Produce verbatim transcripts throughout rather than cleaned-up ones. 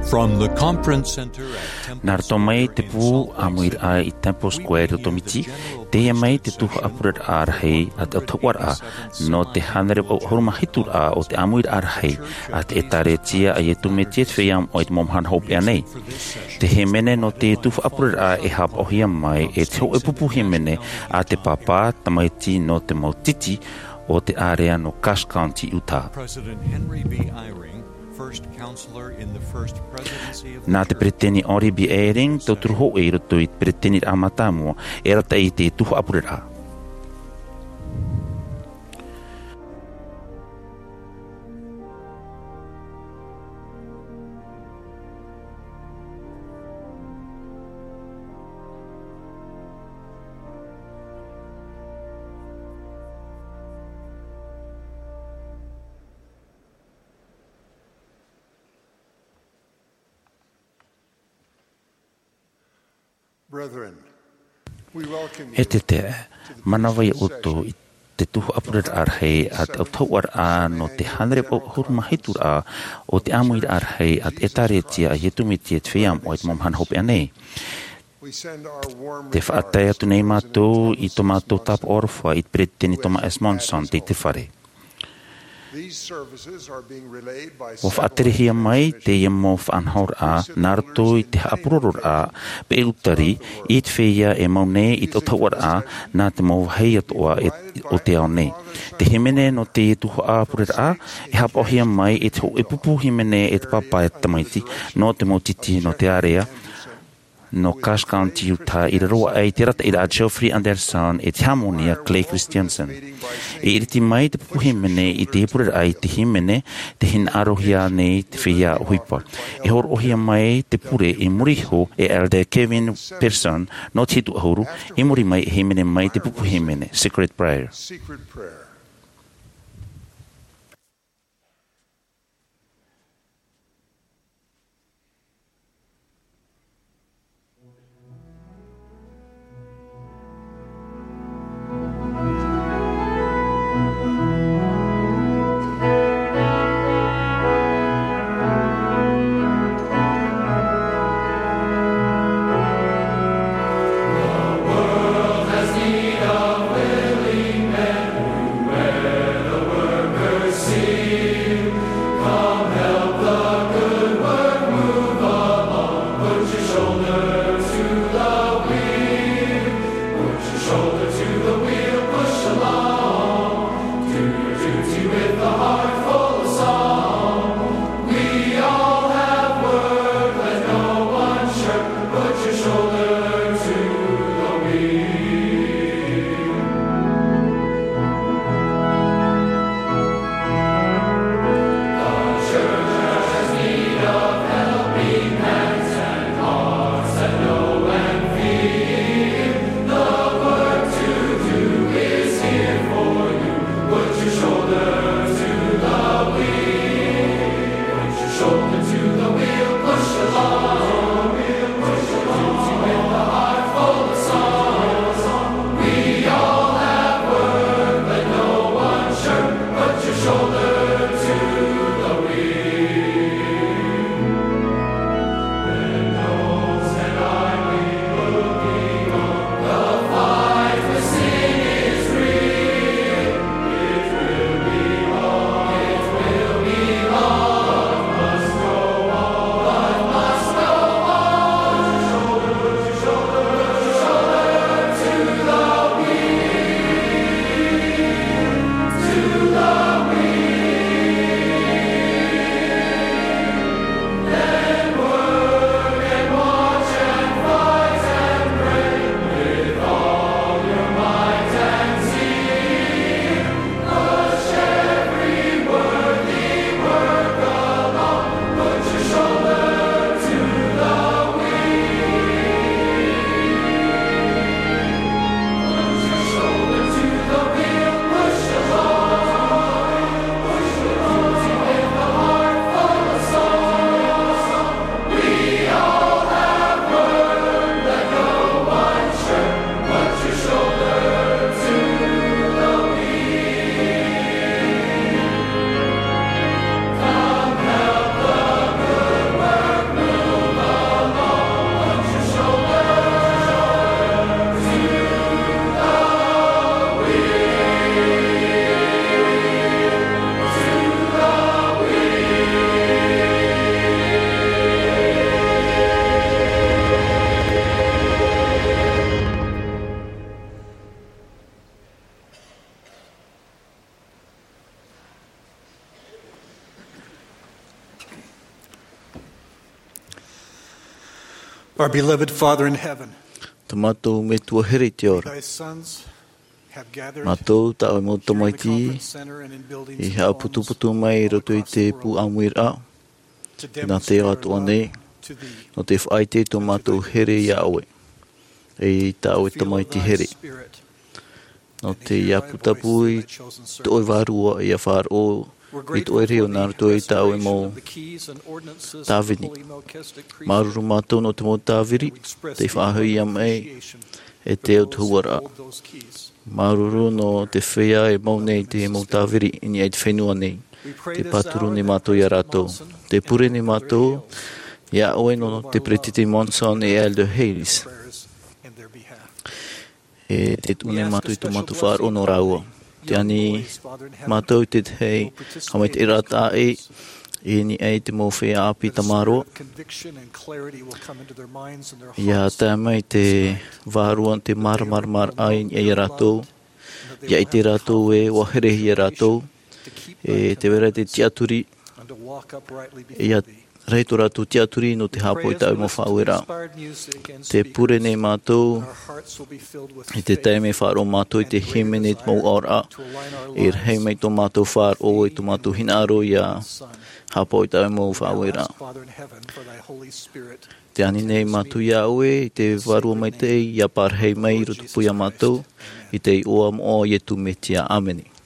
From the Conference Center at Temple Nā roto mai Square te in pū Salt Lake ʻāmuiraʻa City, i Temple Square i roto Miti, teie mai te tuhaʻa pureraʻa rahi a te ʻautahuʻaraʻa nō te hānere vaʻu ʻahuru mā hitu raʻa o te ʻāmuiraʻa rahi a te ʻĒtārētia a Iesu Mesia te Feiā Moʻa i te Mau Mahana Hopeʻa nei. Te hīmene nō te tuhaʻa pureraʻa e haʻapaʻohia mai e te hōʻē pupu hīmene a te Pāpā Tamaiti nō te mau titi o te ārea nō Cass County, Utah. President Henry B. Eyring, first counselor in the First Presidency of the Nā te Church. Peresideni Henry B. Eyring, tauturu hōʻē i roto i te peresideni mātāmua, e arataʻi i te tuhaʻa pureraʻa. Brethren, we welcome you E te te, manava ia ʻoutou i te tuhaʻa pureraʻa rahi a te ʻautahuʻaraʻa nō te hānere vaʻu ʻahuru mā hitu raʻa o te ʻāmuiraʻa rahi a te ʻĒtārētia a Iesu Mesia te Feiā Moʻa i te Mau Mahana Hopeʻa nei. We send our warm Te faʻatae atu nei mātou i tō mātou tāpaʻo aroha i te peresideni Thomas S. Monson i te fare. These services are being relayed by Ua several faʻaterehia mai teie mau faʻanahoraʻa nā roto i te haʻapurororaʻa peʻutari i te feiā e mau nei i te ʻautahuʻaraʻa nā te mau vāhi atoʻa e, o te ao nei. Te hīmene nō te tuhaʻa pureraʻa e haʻapaʻohia mai e te hōʻē pupu hīmene e te Pāpā e te Tamaiti nō te mau titi nō te ārea nō Cass County, Utah, i raro aʻe i te arataʻiraʻa a Geoffrey Anderson e te hāmani a Clay Christensen. E iriti mai te pupu hīmene i te pureraʻa i te hīmene, tē hinaʻarohia nei te feiā ʻohipa. E hōroʻahia mai te pure i muri iho e Elder Kevin Pearson nō te hitu ʻahuru, i muri mai e hīmene mai te pupu hīmene, Secret Prayer. Secret Prayer. Our beloved Father in heaven, Tā mātou Metua here i te ao ra. Thy sons have gathered Mātou, tā ʻoe mau in your tamaiti, conference center and in buildings i and homes haʻaputuputu mai i roto i te pū ʻāmuiraʻa, nā te ao atoʻa nei, nō te faʻaʻite i tō mātou here iā ʻoe, e i tā ʻoe tamaiti here. Nō te ʻāpūtapu i tō ʻoe vārua ʻia faʻaroʻo i tō ʻoe reo nā roto i tā ʻoe mau tāvini. Māuruuru mātou nō te mau tāviri, tei faʻahoʻi mai e te ao tuhaʻa ra. Māuruuru nō te feiā e mau nei te mau tāviri i niʻa i te fenua nei. Te pāturu nei mātou iā rātou. Te pure nei mātou iā ʻoe nō te Peretiteni Monson e Elder Hayes. E te tuʻu nei mātou i tō mātou faʻaroʻo nō rāua. Tē ani mātou i te tahi haʻamaitaʻiraʻa tāʻi i niʻa i te mau feiā ʻāpī tamaroa. ʻIa tae mai te vārua te māramaramaraʻa i niʻa iā rātou. ʻIa ʻite rātou e ʻua herehia rātou. E tē vai ra te tiʻaturi, ʻia rahi tō rātou tiʻaturi nō te haʻapaʻo i tā ʻoe mau faʻaueraʻa. Tē pure nei mātou i te taime e faʻaroʻo mātou i te hīmene i te mau ʻaoraʻa, e rahi mai tō mātou faʻaroʻo i tō mātou hinaʻaro ʻia haʻapaʻo i tā ʻoe mau faʻaueraʻa. Tē ani nei mātou iā ʻoe i te Vārua Maitaʻi ʻia parahi mai i roto iā mātou, i te iʻoa moʻa o Iesu Mesia. ʻĀmene.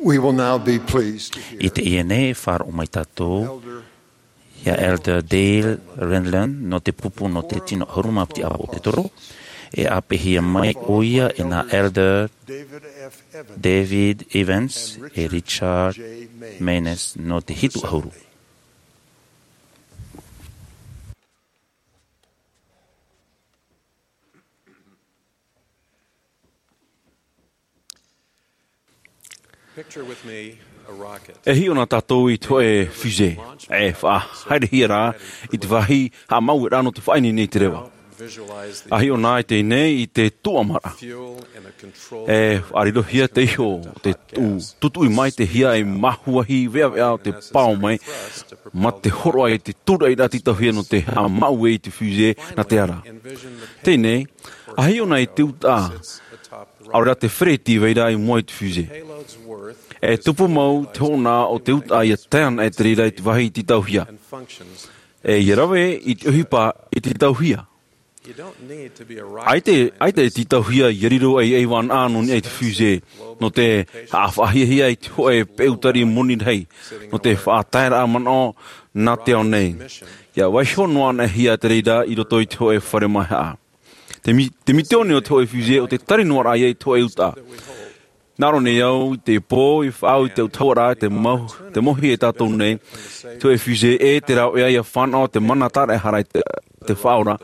We will now be pleased to hear I teie nei, e faʻaroʻo mai tātou Elder ia Elder Dale Renlund nō te pupu nō te tino ʻahuru mā piti ʻāvaʻe o te toro, e ʻāpeʻehia mai ʻoia e nā Elder David F. Evans David Evans and e Richard Richard J. Maynes Maynes nō te hitu ʻahuru. Picture with me a rocket. E hiʻo na tātou i te hōʻē fusée, e faʻahaerehia rā i te vāhi haʻamāuʻaraʻa nō te faʻaineine i te reva. Visualize the A hiʻo na i teie nei i te tuʻamaraʻa. Fuel in a controlled E faʻarirohia te iho o te tu-, tutuʻi mai te hia e māhuahi veʻaveʻa o te pao mai, mā te hōroʻa i te tūraʻiraʻa tītauhia nō te haʻamāuʻe i te fusée nā te ara. Teie nei, a hiʻo na i te utaʻa, ʻaore rā te fereti vai ra i mua i te fusée. E tupu mau te hōʻona o te utaʻa ia tae ana e te reira i te vāhi tītauhia. E ia rave i te ʻohipa i tītauhia. ʻAita, ʻaita e tītauhia ia riro ei, ei vānaʻa nō niʻa i te fusée, nō te haʻafaʻahiahia i te hōʻē peu tari moni rahi, nō te faʻataeraʻa manaʻo nā te ao nei. Ia vaiiho noa anaʻe hia te reira i roto i te hōʻē fare māʻa. Te mi-, te mitioni o te hōʻē fusée ʻo te tari noa raʻa ia i te hōʻē utaʻa. Nā ʻō nei au i te pō, i faʻaau i te autahuʻaraʻa, te mau-, te mauhaʻa e tātou nei, te hōʻē fusée e te rāveʻa ia fānaʻo te mana tāraʻehara i te, te Faʻaora,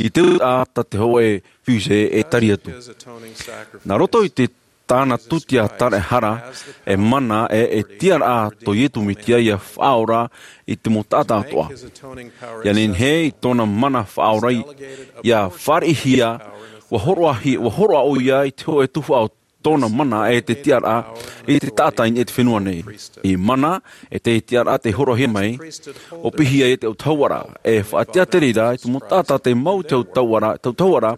i te utaʻa tā te hōʻē fusée e tari atu. Nā roto i te tāna tūtia tāraʻehara, e mana e, e tiʻaraʻa tō Iesu Mesia ia faʻaora i te mau taʻata atoʻa. Ia nehenehe i tōna mana faʻaora i, ia fāriʻihia, ua hōroʻa hi-, ua hōroʻa ʻoia i te hōʻē tuhaʻa o tōna mana e te tiʻaraʻa i te taʻata i niʻa i te fenua nei. I mana, e te tiʻaraʻa tei hōroʻahia mai, ʻo pīhaʻi ia te autahuʻaraʻa, e faʻatiʻa te reira i te mau taʻata tei mau i te autahuʻaraʻa, te autahuʻaraʻa,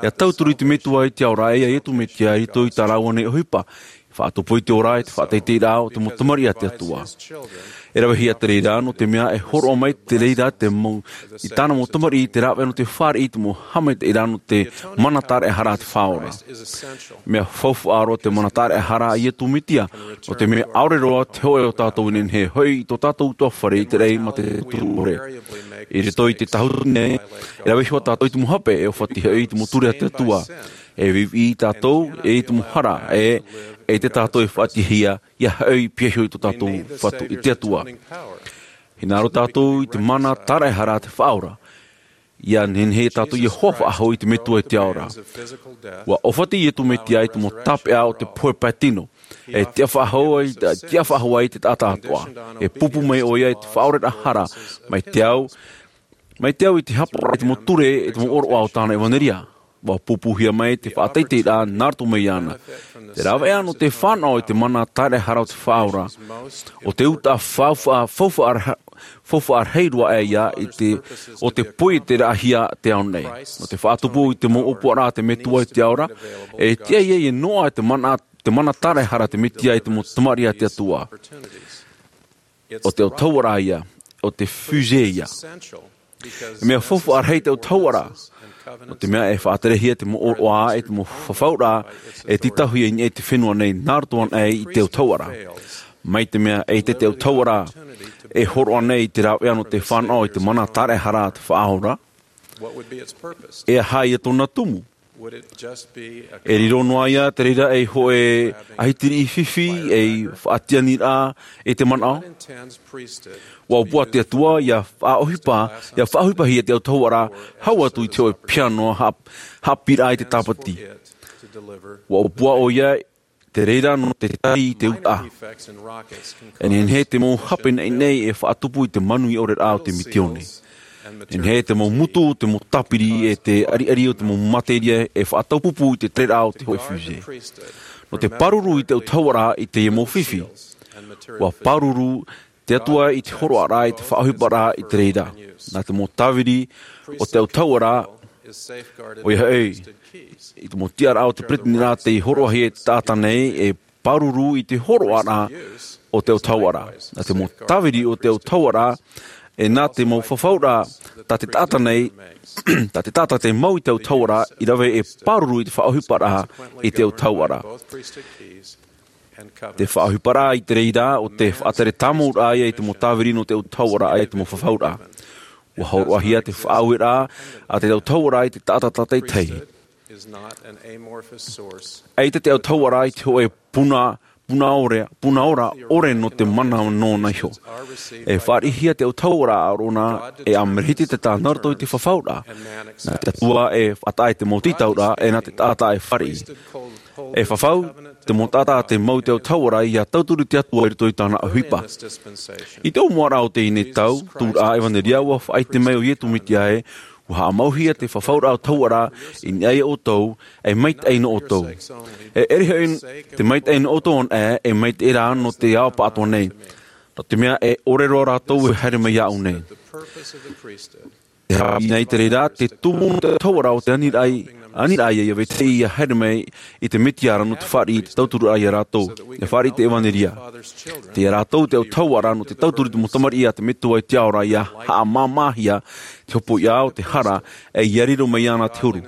ia tauturu i te Metua i te ao ra, e ia Iesu Mesia i roto i tā rāua nei ʻohipa. Faʻatupu i te ora e te faʻateiteiraʻa o te mau tamariʻi a te Atua. E ravehia te reira, nō te mea e hōroʻa mai te reira te mau, i tāna mau tamariʻi te rāveʻa nō te fāriʻi i te mau haʻamaitaʻiraʻa nō te mana tāraʻehara a te Faʻaora. Mea faufaʻa roa te mana tāraʻehara a Iesu Mesia, nō te mea ʻaore roa te hōʻē o tātou e nehenehe e hoʻi i tō tātou ʻutuāfare i te raʻi mā te tūtū ʻore. I roto i te tāhuti nei, e rave iho tātou i te mau hape e ʻōfatiʻi hoʻi i te mau ture a te Atua. E viʻiviʻi tātou, e i te mau hara, e, e te tātou e faʻatiʻahia, ia hoʻi pihaʻi iho i tō tātou Fatu-, i te Atua. Hinaʻaro tātou i te mana tāraʻehara a te Faʻaora. Ia nehenehe tātou ia hoa faʻahou i te Metua i te ao ra. Ua ʻōfatiʻi Iesu Mesia i te mau tāpeʻa o te pohe pae tino. E tiʻa faʻahou ai, tiʻa faʻahou ai te taʻata atoʻa. E pupu mai ʻoia i te faʻaoreraʻa hara, mai te au, mai te au i te hapaʻo i te mau ture, i te mau ʻōroʻa o tāna ʻevanelia. Ua pupuhia mai te faʻateiteiraʻa nā roto mai iāna. Te rāveʻa nō te fānaʻo i te mana tāraʻehara o te Faʻaora. ʻO te utaʻa faufaʻa, faufaʻa ra-, faufaʻa rahi roa aʻe ia i te, ʻo te poieteraʻahia te ao nei. Nō te faʻatupu i te mau ʻōpuaraʻa a te Metua i te ao ra, e tiʻa ia ia noaʻa te mana, te mana tāraʻehara a te Mesia i te mau tamariʻi a te Atua. ʻO te autahuʻaraʻa ia, ʻo te fusée ia. E mea faufaʻa rahi te autahuʻaraʻa. Nō te mea e faʻaterehia te mau ʻōroʻa e te mau fafauraʻa e tītauhia i niʻa i te fenua nei nā roto anaʻe i te autahuʻaraʻa. Mai te mea e ʻaita te autahuʻaraʻa e hōroʻa nei i te rāveʻa nō te fānaʻo i te mana tāraʻehara a te Faʻaora. E aha ia tōna tumu? E riro noa ia te reira ei hōʻē ʻahitiriʻi fifi, ei faʻatiʻaniraʻa i te manaʻo? Ua ʻōpua te Atua ia faʻaʻohipa, ia faʻaʻohipahia te autahuʻaraʻa, hau atu i te hōʻē piha noa haʻ-, haʻapiʻiraʻa i te tāpati. Ua ʻōpua ʻoia te reira nō te tari i te utaʻa. E nehenehe te mau hape naʻinaʻi e faʻatupu i te manuia ʻore raʻa o te mitioni. E nehenehe te mau mutu, te mau tāpiri, e te ʻariʻari o te mau materia e faʻataupupū i te tereraʻa o te hōʻē fusée. Nō te pāruru i te autahuʻaraʻa i teie mau fifi. Ua pāruru te Atua i te hōroʻaraʻa, i te faʻaʻohiparaʻa i te reira. Nā te mau tāviri o te autahuʻaraʻa, ʻoia hoʻi, i te mau tiʻaraʻa o te peresideniraʻa tei hōroʻahia e te taʻata nei, e pāruru i te hōroʻaraʻa o te autahuʻaraʻa. Nā te mau tāviri o te autahuʻaraʻa, e nā te mau fafauraʻa tā te taʻata nei, tā te taʻata tei mau i te autahuʻaraʻa, i rave e pāruru i te faʻaʻohiparaʻa i te autahuʻaraʻa. Te faʻaʻohiparaʻa i te reira, ʻo te faʻatere tāmau raʻa ia i te mau tāviri nō te autahuʻaraʻa i te mau fafauraʻa. ʻUa hōroʻahia te faʻaueraʻa a te autahuʻaraʻa i te taʻata tātaʻitahi. ʻAita te autahuʻaraʻa i te hōʻē puna, puna ʻore, puna ora ʻore nō te mana nōna iho. E fāriʻihia te autahuʻaraʻa ʻaʻorona e a Merehiteteta nā roto i te fafauraʻa. Nā te Atua e faʻataʻa i te mau tītauraʻa, e nā te taʻata e fāriʻi. E fafau te mau taʻata a te mau i te autahuʻaraʻa ia tauturu i te Atua i roto i tāna ʻohipa. I te ʻōmuaraʻa o teie nei tau, tūraʻa ʻevanelia, ʻua faʻaʻite mai ʻo Iesu Mesia ē, ʻua haʻamauhia te fafauraʻa autahuʻaraʻa i niʻa ia ʻoutou, e maitaʻi nō ʻoutou. E ʻere hoʻi te maitaʻi nō ʻoutou anaʻe, e maitaʻi rā nō te ao pāʻatoʻa nei. Nō te mea e ʻore roa rātou e haere mai iāʻu nei. Te haʻapiʻi nei te reira, te tumu nō te autahuʻaraʻa ʻo te aniraʻa, aniraʻa ia, ia vetahi ia haere mai i te Mesia ra nō te fāriʻi i te tautururaʻa ia rātou. E fāriʻi te ʻevanelia. Tei ia rātou te autahuʻaraʻa nō te tauturu i te mau tamariʻi a te Metua i te ao ra ia haʻamāmāhia te hopoiʻa o te hara, e ia riro mai iāna te huru.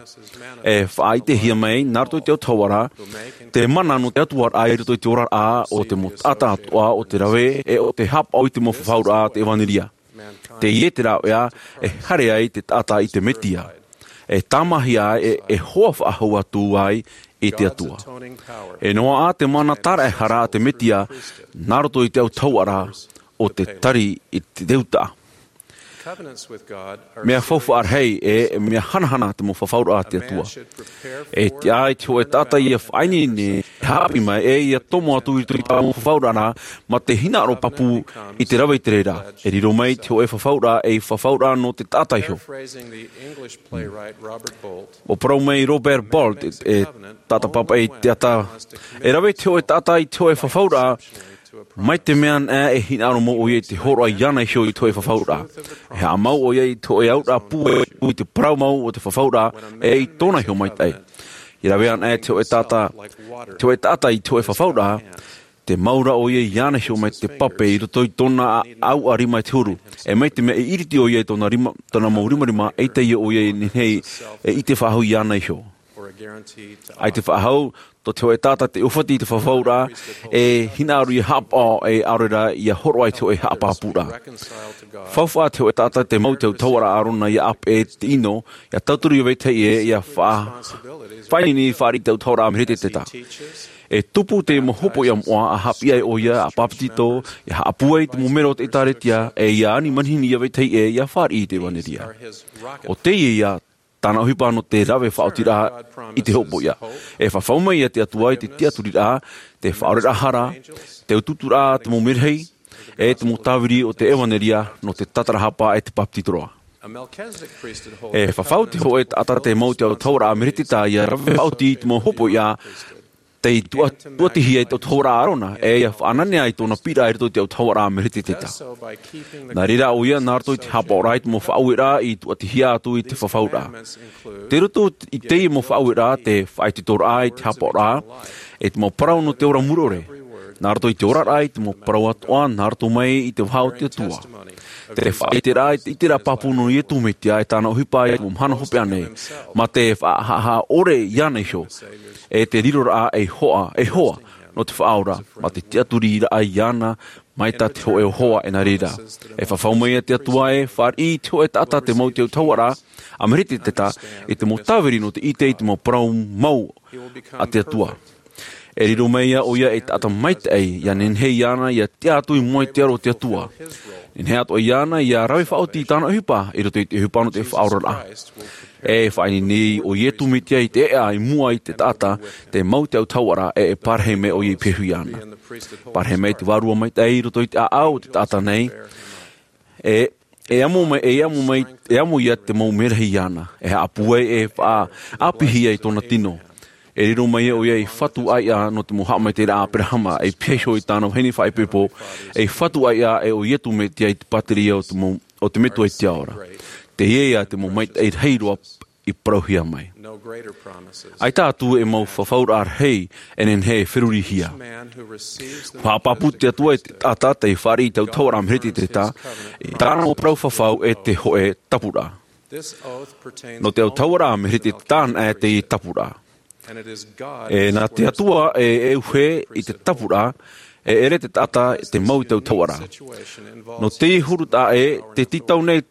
E faʻaʻitehia mai, nā roto i te autahuʻaraʻa, te mana nō te Atua raʻa i roto i te oraraʻa o te mau taʻata atoʻa, ʻo te rave, e ʻo te haʻapaʻo i te mau fafauraʻa a te ʻevanelia. Teie te rāveʻa e haere ai te taʻata i te Mesia. E tāmāhia ai, e, e hoa faʻahou atu ai i te Atua. E noaʻa te mana tāraʻehara a te Mesia, nā roto i te autahuʻaraʻa ʻo te tari i te utaʻa. Mea faufaʻa rahi, e, e mea hanahana te mau fafauraʻa a te Atua. E tiʻa ai te hōʻē taʻata ia faʻaineine, e haʻapiʻi mai, e ia tomo atu i roto i tā mau fafauraʻa ra, mā te hinaʻaro pāpū i te rave i te reira. E riro mai te hōʻē fafauraʻa ei fafauraʻa nō te taʻata iho. ʻUa parau mai Robert Bolt, e, e taʻata pāpaʻi i te ata, e rave te hōʻē taʻata i te hōʻē fafauraʻa, mai te mea anaʻe e hinaʻaro mau ʻoia i te hōroʻa iāna iho i te hōʻē fafauraʻa. E haʻamau ʻoia i te hōʻē auraʻa pūai i te parau mau o te fafauraʻa, e i tōna iho maitaʻi. I rave anaʻe te hōʻē taʻata, te hōʻē taʻata i te hōʻē fafauraʻa, te mau ra ʻoia iāna iho mai te pape i roto i tōna a-, ʻauʻa rima i te huru. E mai te mea e iriti ʻoia i tōna rima, tōna mau rimarima, eʻita ʻoia e nehenehe e ʻite faʻahou iāna iho. ʻAita faʻahou, tō te hōʻē taʻata tei ʻōfati i te fafauraʻa, e hinaʻaro ia haʻapaʻo, e ʻaore rā ia hōroʻa i te hōʻē haʻapāpūraʻa. Faufaʻa te hōʻē taʻata tei mau i te autahuʻaraʻa a Arona ia ʻāpeʻe te ʻino, ia tauturu ia vetahi ʻē, ia fa-, faʻaineine fāriʻi i te autahuʻaraʻa a Merehiteteta. E tupu te mau hopoiʻa moʻa, ʻa haʻapiʻi ai ʻoia, ʻa pāpetito, ia haʻapūai i te mau mero o te ʻĒtārētia, e ia ani manihini ia vetahi ʻē, ia fāriʻi i te ʻevanelia. ʻO teie ia tāna ʻohipa nō te rave faʻaotiraʻa i te hopoiʻa. E fafau mai ia te Atua i te tiʻaturiraʻa, te faʻaoreraʻa hara, te utuuturaʻa a te mau merahi, e te mau tāviri o te ʻevanelia nō te tātarahapa e te pāpetito ra. E fafau te hōʻē taʻata tei mau i te autahuʻaraʻa a Merehiteteta ia rave faʻaoti i te mau hopoiʻa, tei tuʻa-, tuʻatihia i te autahuʻaraʻa a Arona, e ia faʻananea i tōna piʻiraʻa i roto i te autahuʻaraʻa a Merehiteteta. Nā reira ʻoia, nā roto i te haʻapaʻoraʻa i te mau faʻaueraʻa i tuʻatihia atu i te fafauraʻa. Tei roto i teie mau faʻaueraʻa te faʻaitoitoraʻa i te haʻapaʻoraʻa, e te mau parau nō te ora mure ʻore. Nā roto i te oraraʻa i te mau parau atoʻa, nā roto mai i te vaha o te Atua. Te faʻaʻiteraʻa i te ʻiteraʻa pāpū nō Iesu Mesia e tāna ʻohipa i te mau mahana hopeʻa nei. Mā te faʻahaʻahaʻa ʻore iāna iho. E te riroraʻa ei hoa, ei hoa, nō te faʻaora, mā te tiʻaturiraʻa iāna, mai tā te hōʻē hoa e nā reira. E fafau mai ia te Atua e fāriʻi i te hōʻē taʻata tei mau i te autahuʻaraʻa a Merehiteteta, i te mau tāviri nō te ʻite i te mau parau mau a te Atua. E riro mai ia ʻoia ei taʻata maitaʻi, ia nehenehe iāna ia tiʻa atu i mua i te aro o te Atua. Nehenehe atoʻa iāna ia rave faʻaoti i tāna ʻohipa, i roto i te ʻohipa nō te faʻaoraraʻa. E faʻaineine ʻo Iesu Mesia i te ʻēʻa i mua i te taʻata tei mau i te autahuʻaraʻa, e, e parahi mai ʻoia i pehu iāna. Parahi mai te vārua maitaʻi i roto i te ʻāʻau o te taʻata nei. E, e amo mai, e amo mai, e amo ia te mau merahi iāna. E haʻapūai, e faʻaʻāpīhia i tōna tino. E riro mai ʻoia ei fatu ʻāiʻa nō te mau haʻamaitaʻiraʻa a Aberahama, ei piha iho i tāna vahine faʻaipoipo, ei fatu ʻāiʻa e ʻo Iesu Mesia i te pātireia o te mau, o te Metua i te ao ra. Teie ia te mau maitaʻi rahi roa i parauhia mai. ʻAita atu e mau fafauraʻa rahi e nehenehe e ferurihia. ʻUa haʻapāpū te Atua i te taʻata tei fāriʻi i te autahuʻaraʻa a Merehiteteta, i tāna mau parau fafau e te hōʻē tapuraʻa. Nō te autahuʻaraʻa a Merehiteteta anaʻe teie tapuraʻa. E nā te Atua e e uhe i te tapuraʻa, e ʻere te taʻata te mau i te autahuʻaraʻa. Nō te huru taʻa e te tītau nei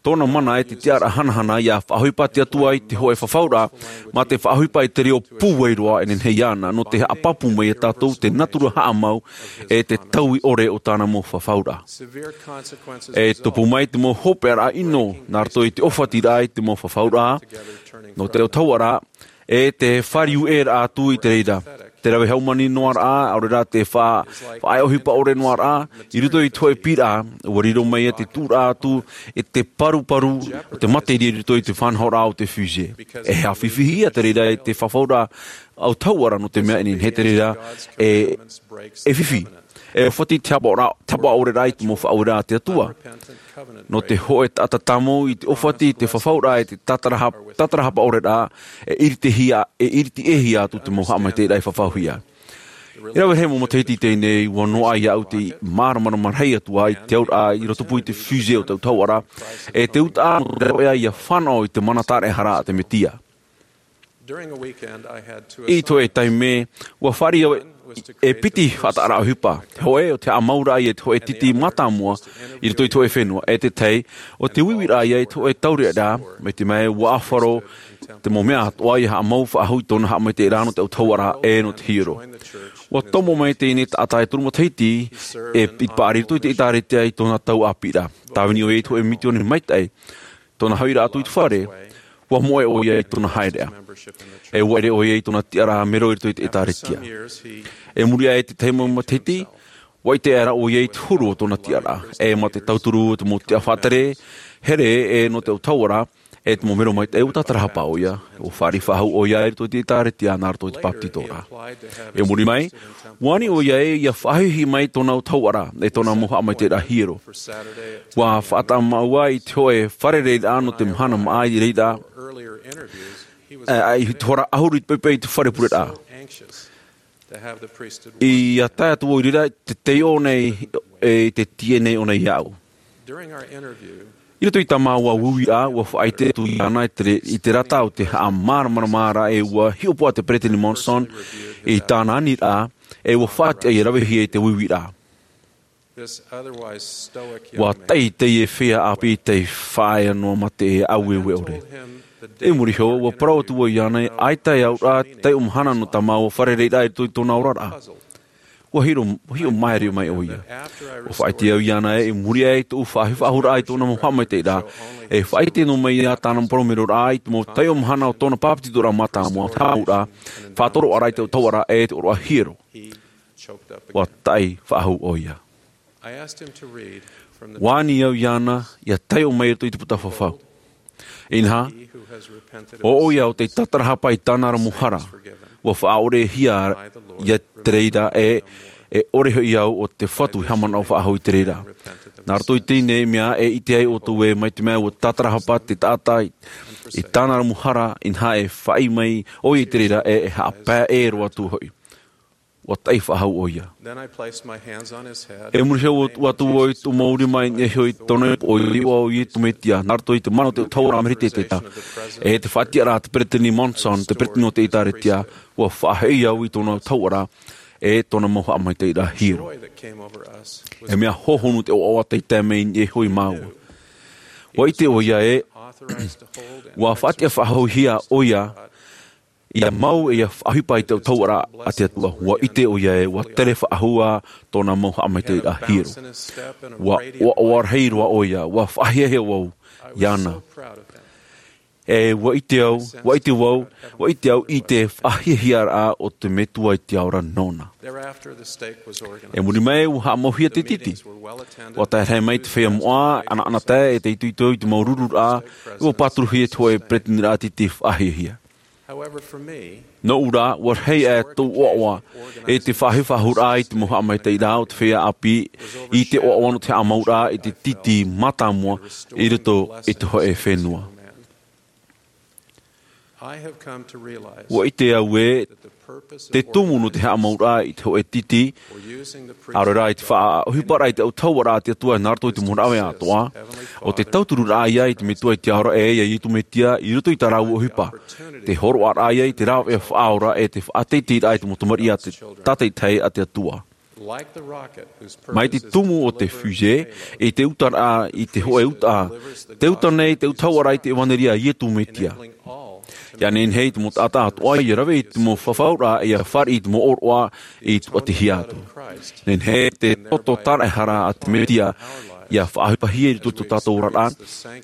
tōna mana e te tiʻaraʻa hanahana ia faʻaʻohipa te Atua i te hōʻē fafauraʻa, mā te faʻaʻohipa i te reo pūai roa e nehenehe iāna, nō te haʻapāpū mai ia tātou te natura haʻamau e te taui ʻore o tāna mau fafauraʻa. E tupu mai te mau hopeʻaraʻa ʻino nā roto i te ʻōfatiraʻa i te mau fafauraʻa, nō te autahuʻaraʻa, e te fāriu ʻē raʻa atu i te reira. Te rave haumani noa raʻa, ʻaore rā te fa-, faʻaʻohipa ʻore noa raʻa, i roto i te hōʻē piʻiraʻa, ʻua riro mai ia te tuʻuraʻa atu, e te paruparu, o te materia i roto i te faʻanahoraʻa o te fusée. E haʻafifi ia te reira i te fafauraʻa autahuʻaraʻa nō te mea e nehenehe te reira, e, e fifi. E ʻōfati te hapaʻo ra-, te hapaʻo ʻore raʻa i te mau faʻaueraʻa a te Atua. Nō te hōʻē taʻata tāmau i te ʻōfati i te fafauraʻa e te tātaraha-, tātarahapa ʻore raʻa, e ʻiritihia, e ʻiritiʻehia atu te mau haʻamaitaʻiraʻa i fafauhia. E rave rahi mau matahiti i teie nei, ʻua noaʻa iāʻu te māramarama rahi atu ā i te auraʻa i rotopū i te fusée o te autahuʻaraʻa, e te utaʻa nō te rāveʻa ia fānaʻo i te mana tāraʻehara a te Mesia. I te hōʻē taime, ʻua fāriʻi au e piti faʻataʻaraʻa ʻohipa. Te hōʻē, ʻo te haʻamauraʻa ia i te hōʻē titi mātāmua i roto i te hōʻē fenua, e te tahi, ʻo te uiuiraʻa ia i te hōʻē taureʻareʻa, mai te mea ʻua ʻāfaro te mau mea atoʻa ia haʻamau faʻahou i tōna haʻamaitaʻiraʻa nō te autahuʻaraʻa e nō te hiero. ʻUa tomo mai teie taʻata e toru matahiti, e, i te paʻari i roto i te ʻĒtārētia i tōna tau ʻāpīraʻa. Tāvini ʻoia i te hōʻē mitiōni maitaʻi, tōna haʻapiʻiraʻa atu i te fare, ʻua moʻe ʻoia i tōna haereʻa. E ʻua ʻere ʻoia i tōna tiʻaraʻa mero i roto i te ʻĒtārētia. E muri aʻe i te tahi mau matahiti, ʻua ʻite aʻera ʻoia i te huru o tōna tiʻaraʻa. E mā te tauturu o te mau tiʻa faʻatere, here e nō te autahuʻaraʻa, e te mau mero maitaʻi ʻua tātarahapa ʻoia, ʻua fāriʻi faʻahou ʻoia i roto i te ʻĒtārētia nā roto i te bāpetizoraʻa. E muri mai, ʻua ani ʻoia ē ia faʻahiahia mai tōna autahuʻaraʻa, e tōna mau haʻamaitaʻiraʻa hiero. ʻUa faʻataʻa māua i te hōʻē fārereiraʻa nō te mahana māʻa i reira, e, i te hora ʻahuru i te poʻipoʻi i te fare pureraʻa. ʻIa tae atu vau i reira, te taiʻo nei, e, te tiʻa nei ʻōna iāʻu. I roto i tā māua uiuiraʻa, ʻua faʻaʻite atu iāna i te re-, i te rata o te haʻamāramaramaraʻa e ʻua hiʻopoʻa te Peresideni Monson i tāna aniraʻa, e ʻua faʻatiʻa ia ravehia i te uiuiraʻa. ʻUa taʻi teie feiā ʻāpī tei faʻaea noa mā te aueue ʻore. I muri iho, ʻua parau atu vau iāna, ʻaita e au ra te taiʻo mahana nō tā māua fārereiraʻa i roto i tōna oraraʻa. ʻUa hiʻo, hiʻo maere mai ʻoia. ʻUa faʻaʻite au iāna ē, i muri aʻe i tōʻu faʻahi-, faʻahouraʻa i tōna mau haʻamaitaʻiraʻa, e faʻaʻite noa mai ia tāna mau parau meroraʻa i te mau taiʻo mahana o tōna bāpetizoraʻa mātāmua, haʻamāuʻa, faʻatoroʻaraʻa i te autahuʻaraʻa e te ʻōroʻa hiero. ʻUa taʻi faʻahou ʻoia. ʻUa ani au iāna, ʻia taiʻo mai i roto i te puta fafau. Inaha, ʻo ʻoia ʻo tei tātarahapa i tāna ra mau hara, ʻua faʻaʻorehia ia te reira e, e ʻore hoʻi au ʻo te Fatu i haʻamanaʻo faʻahou i te reira. Nā roto i teie nei mea e ʻite ai ʻoutou ē mai te mea ʻua tātarahapa te taʻata i, i tāna ra mau hara, inaha e faʻaʻī mai ʻoia i te reira e, e haʻapae roa atu hoʻi. ʻUa taʻi faʻahou ʻoia. Then I placed my hands on his head. E muri iho ʻua, ʻua tuʻu au i tōʻu mau rima i niʻa iho i tōna ipu, ʻo ʻoia ʻo Iesu Mesia, nā roto i te mana o te autahuʻaraʻa Mereteteta, e te faʻatiʻaraʻa a te Peresideni Monson, te Peresideni o te ʻĒtārētia, ʻua faʻahoʻi au i tōna autahuʻaraʻa, e tōna mau haʻamaitaʻiraʻa hiero. E mea hōhonu te ʻoaʻoa tei tae mai i niʻa iho ia māua. ʻUa ʻite ʻoia ē, ʻua faʻatiʻa faʻahouhia ʻoia, ʻia mau e ʻia faʻaʻohipa i te autahuʻaraʻa a te Atua. ʻUa ʻite ʻoia ē, ʻua tere faʻahou ā tōna mau haʻamaitaʻiraʻa hiero. ʻUa, ʻua, ʻua rahi roa ʻoia, ʻua faʻahiahia vau iāna. E ʻua ʻite au, ʻua ʻite vau, ʻua ʻite au i te faʻahiahiaraʻa o te Metua i te ao ra nōna. E muri mai, ʻua haʻamauhia te titi. ʻUa tae rahi mai te feiā moʻa, ʻanaʻanatae, e te itoito i te mau rururaʻa, ʻua pāturuhia te hōʻē peretiteniraʻa titi faʻahiahia. Nōʻu rā, ʻua rahi ā tōʻu ʻoaʻoa i te faʻahi-, faʻahouraʻa i te mau haʻamaitaʻiraʻa o te feiā ʻāpī, i te ʻoaʻoa nō te haʻamauraʻa i te titi mātāmua i roto i te hōʻē fenua. Ua ʻite au ē te tumu nō te haʻamauraʻa i te hōʻē tītī, ʻaore rā i te faʻaʻohiparaʻa i te autahuʻaraʻa a te Atua nā roto i te mau rāveʻa atoʻa, ʻo te tautururaʻa ïa i te Metua i te Ao ra, e ia Iesu Mesia, i roto i tā rāua ʻohipa. Te hōroʻaraʻa ïa i te rāveʻa faʻaora e te faʻateiteiraʻa i te mau tamariʻi a te tātaʻitahi a te Atua. Mai te tumu o te fusée, i te utaraʻa, i te hōʻē uta, te uta nei, te autahuʻaraʻa i te ʻevanelia a Iesu Mesia. ʻIa nehenehe i te mau taʻata atoʻa ʻia rave i te mau fafauraʻa, ʻia fāriʻi i te mau ʻōroʻa i tuʻatihia atu. Nehenehe te toto tāraʻehara a te Mesia ʻia faʻaʻohipahia i roto i tō tātou oraraʻa.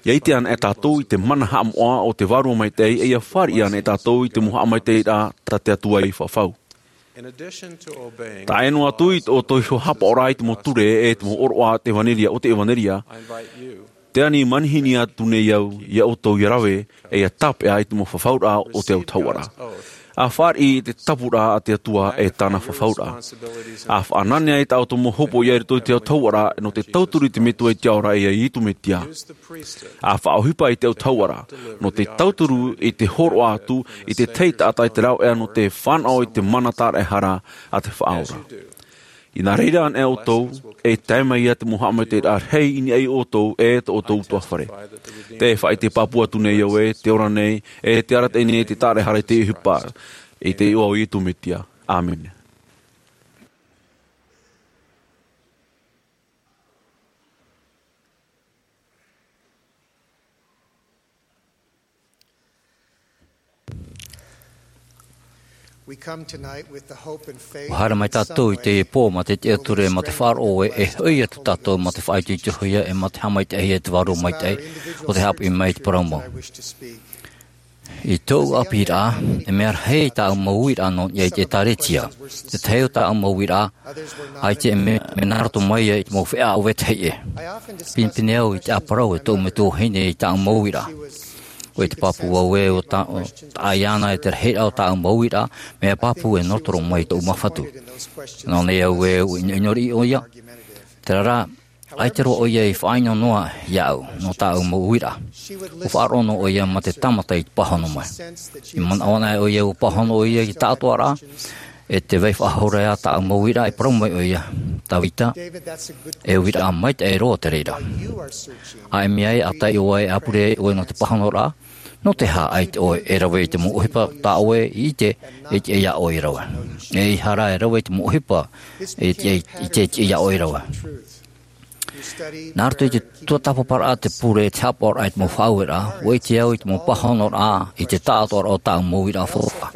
ʻIa ʻite anaʻe tātou i te mana haʻamoʻa o te Vārua Maitaʻi, e ʻia fāriʻi anaʻe tātou i te mau haʻamaitaʻiraʻa tā te Atua i fafau. Tae noa atu i tō ʻoutou iho haʻapaʻoraʻa i te mau ture e te mau ʻōroʻa a te ʻevanelia, o te ʻevanelia, tē ani manihini atu nei au ia ʻoutou ʻia rave, e ʻia tāpeʻa i te mau fafauraʻa o te autahuʻaraʻa. ʻA fāriʻi i te tapuraʻa a te Atua e tāna fafauraʻa. ʻA faʻananea i tā ʻoutou mau hopoiʻa i roto i te autahuʻaraʻa nō te tauturu i te Metua i te Ao ra, e ia Iesu Mesia. ʻA faʻaʻohipa i te autahuʻaraʻa nō te tauturu i te hōroʻa atu i te tahi taʻata i te rāveʻa nō te fānaʻo i te mana tāraʻehara a te Faʻaora. Inā reira anaʻe ʻoutou, e tae mai ia te mau haʻamaitaʻiraʻa rahi i niʻa ia ʻoutou e tō ʻoutou ʻutuāfare. Tē faʻaʻite pāpū atu nei au ē, tē ora nei, e tē arataʻi nei te tāraʻehara i te ʻohipa, i te iʻoa o Iesu Mesia. ʻĀmene. We come tonight with the hope and faith. ʻUa haere mai tātou i teie pō mā te tiʻaturi, mā te faʻaroʻo ē, e hoʻi atu tātou mā te faʻaitoitohia e mā te haʻamaitaʻihia e te Vārua Maitaʻi, ʻo tē haʻapiʻi mai i te parau mau. I tōʻu ʻāpīraʻa, e mea rahi tāʻu mau uiraʻa nō niʻa i te ʻĒtārētia. Te tahi o tāʻu mau uiraʻa, ʻaita e mea, mea nā roto mai ia i te mau feiā ʻo vetahi ʻē. Pinepine au i te ʻāparau e tōʻu metua vahine i tāʻu mau uiraʻa. ʻUa ʻite pāpū au ē ʻo tā, ʻo taʻa ʻia ana e te rahiraʻa o tāʻu mau uiraʻa, mea pāpū e nō roto mai tōʻu māfatu. Nō nei au ē ʻua ʻinoʻino riʻi ʻoia. Terā rā, ʻaita roa ʻoia i faʻaʻino noa iāʻu, nō tāʻu mau uiraʻa. ʻUa faʻaroʻo noa ʻoia mā te tāmata i te pāhono mai. I manaʻo anaʻe ʻoia ʻua pāhono ʻoia i te taʻatoʻaraʻa, e te vai faʻahou ra ia tāʻu mau uiraʻa, e parau mai ʻoia, Tavita, e uiraʻa maitaʻi roa te reira. ʻA ʻimi ai, ʻa taiʻo ai, ʻa pure ai ʻoe nō te pāhonoraʻa, nō te aha ʻaita ʻoe e rave i te mau ʻohipa tā ʻoe i ʻite, e tiʻa iā ʻoe e rave. E ʻeiaha rā e rave i te mau ʻohipa, e tiʻa, e tiʻa iā ʻoe e rave. Nā roto i te tuatāpaparaʻa, te pure, te haʻapaʻoraʻa i te mau faʻaueraʻa, ʻua ʻite au i te mau pāhonoraʻa, i te taʻatoʻaraʻa o tāʻu mau uiraʻa faufaʻa.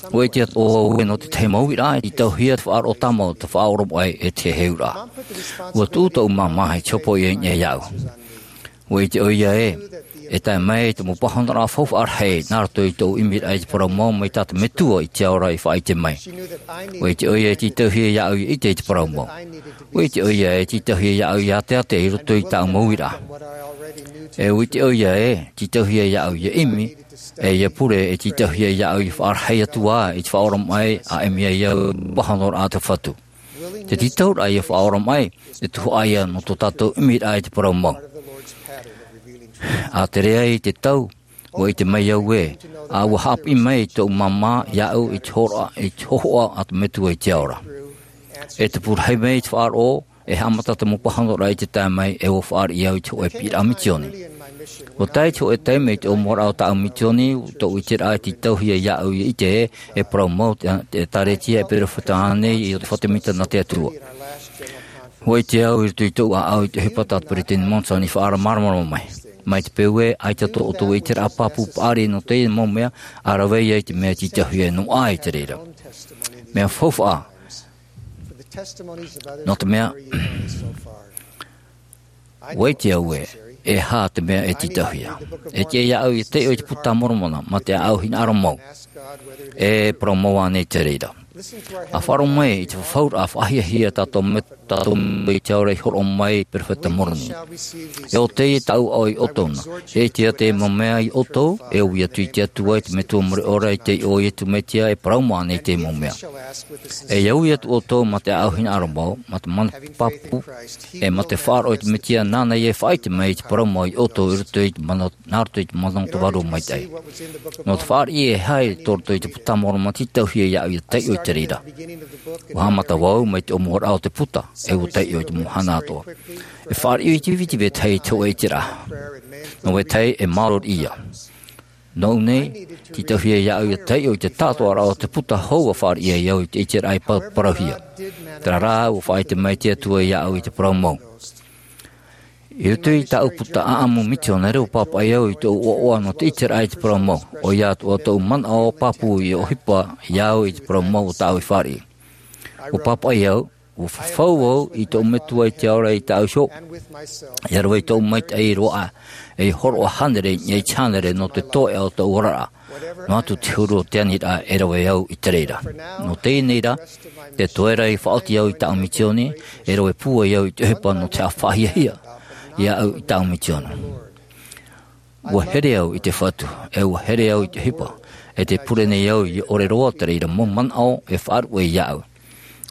ʻUa ʻite atoʻa au ē nō te tahi mau uiraʻa, e tītauhia te faʻaroʻo tāmau, te faʻaoromaʻi, e te heheuraʻa. ʻUa tuʻu tōʻu māmā i te hopoiʻa i niʻa iāʻu. ʻUa ʻite ʻoia ē, e tae mai te mau pāhonoraʻa faufaʻa rahi, nā roto i tōʻu ʻimiraʻa i te parau mau mai tā te Metua i te Ao ra i faʻaʻite mai. ʻUa ʻite ʻoia e tītauhia iāʻu ʻia ʻite i te parau mau. ʻUa ʻite ʻoia e tītauhia iāʻu ʻia ʻateʻate i roto i tāʻu mau uiraʻa. E ʻua ʻite ʻoia e tītauhia iāʻu ʻia ʻimi, e ʻia pure e tītauhia iāʻu ʻia faʻarahi atu ā i te faʻaoromaʻi, ʻa ʻimi ai au i te pāhonoraʻa a te Fatu. Te tītauraʻa ʻia faʻaoromaʻi, e tuhaʻa ïa nō tō tātou ʻimiraʻa i te parau mau. ʻA tere ai te tau, ʻua ʻite mai au ē, ʻa ʻua haʻapiʻi mai tōʻu māmā iāʻu i te hōroʻa, i te hōhoʻa a te Metua i te Ao ra. E tupu rahi mai te faʻaroʻo, e haʻamata te mau pāhonoraʻa i te tae mai, e ʻua fāriʻi au i te hōʻē piʻiraʻa misioni. ʻUa tae te hōʻē taime i te ʻōmuaraʻa o tāʻu misioni, tōʻu ʻiteraʻa e tītauhia iāʻu ʻia ʻite ē, e parau mau te, te ʻĒtārētia, e perofeta ānei, ʻo te fatu mita nā te Atua. ʻUa ʻite au i roto i tōʻu ʻāʻau i te ʻohipa tā te Peresideni Monson i faʻaʻaramarama mai. Mai te peu ē, ʻaita tō ʻoutou ʻiteraʻa pāpū paʻari nō teie mau mea, ʻa rave ïa i te mea tītauhia noa aʻe i te reira. Mea faufaʻa, nō te mea, ʻua ʻite au ē, e aha te mea e tītauhia. E tiʻa iāʻu ʻia taiʻo i te Puta a Moromona, mā te ʻāʻau hinaʻaro mau. E parau mau ānei te reira. A faʻaroʻo mai i te fafauraʻa faʻahiahia tātou me, tātou me i te ao ra i horoʻa mai perofeta Moroni. E ʻo teie tāʻu aʻo i ʻoutou na. E ʻite ia te mau mea i ʻoutou, e ui atu i te Atua i te metua mure ʻore i te iʻoa o Iesu Mesia e parau mai nei te mau mea. E au ia atu ʻoutou ma te aʻau hinaʻaro mau, ma te mana pāpū, e ma te faʻaroʻo i te Mesia nāna ia e faʻaʻite mai i te parau mau i ʻoutou i roto i te mana, nā roto i te mana o te Vārua Maitaʻi. Nō te fāriʻi e haere tō roto i te Puta Moromona tītauhia iāʻu ia taiʻo i te reira. ʻUa haʻamata vau mai te ʻōmuaraʻa o te puta, e ʻua taiʻo i te mau mahana atoʻa. E fāriʻi i te viti vetahi i te hōʻē ʻiteraʻa. Nō vetahi e māuruuru ia. Nōʻu nei, tītauhia iāʻu ia taiʻo i te tātoʻaraʻa o te puta hou ʻa fāriʻi ai au i te ʻiteraʻa i pa-, parauhia. Terā rā, ʻua faʻaʻite mai te Atua iāʻu i te parau mau. I roto i tāʻu puta ʻāʻamu mitionare ʻua pāpaʻi au i tōʻu ʻoaʻoa nō te ʻiteraʻa i te parau mau. ʻOia atoʻa tōʻu manaʻo pāpū i ʻohipa iāʻu i te parau mau o tāʻu i fāriʻi. ʻUa pāpaʻi au, ʻua fafau au i tōʻu Metua i te ao ra i tāʻu iho, ʻia rave i tōʻu maitaʻi roa, e hōroʻa hānere, i te hānere nō te toeʻa o tōʻu oraraʻa. Noa atu te huru o te aniraʻa e rave au i te reira. Nō teie nei rā, te toe ra i faʻaoti au i tāʻu misioni, e rave pūai au i te ʻohipa nō te faʻahiahia iāʻu i tāʻu misioni. ʻUa here au i te Fatu, e ʻua here au i te ʻohipa, e tē pure nei au ʻia ʻore roa te reira mau manaʻo e faʻaruʻe iāʻu.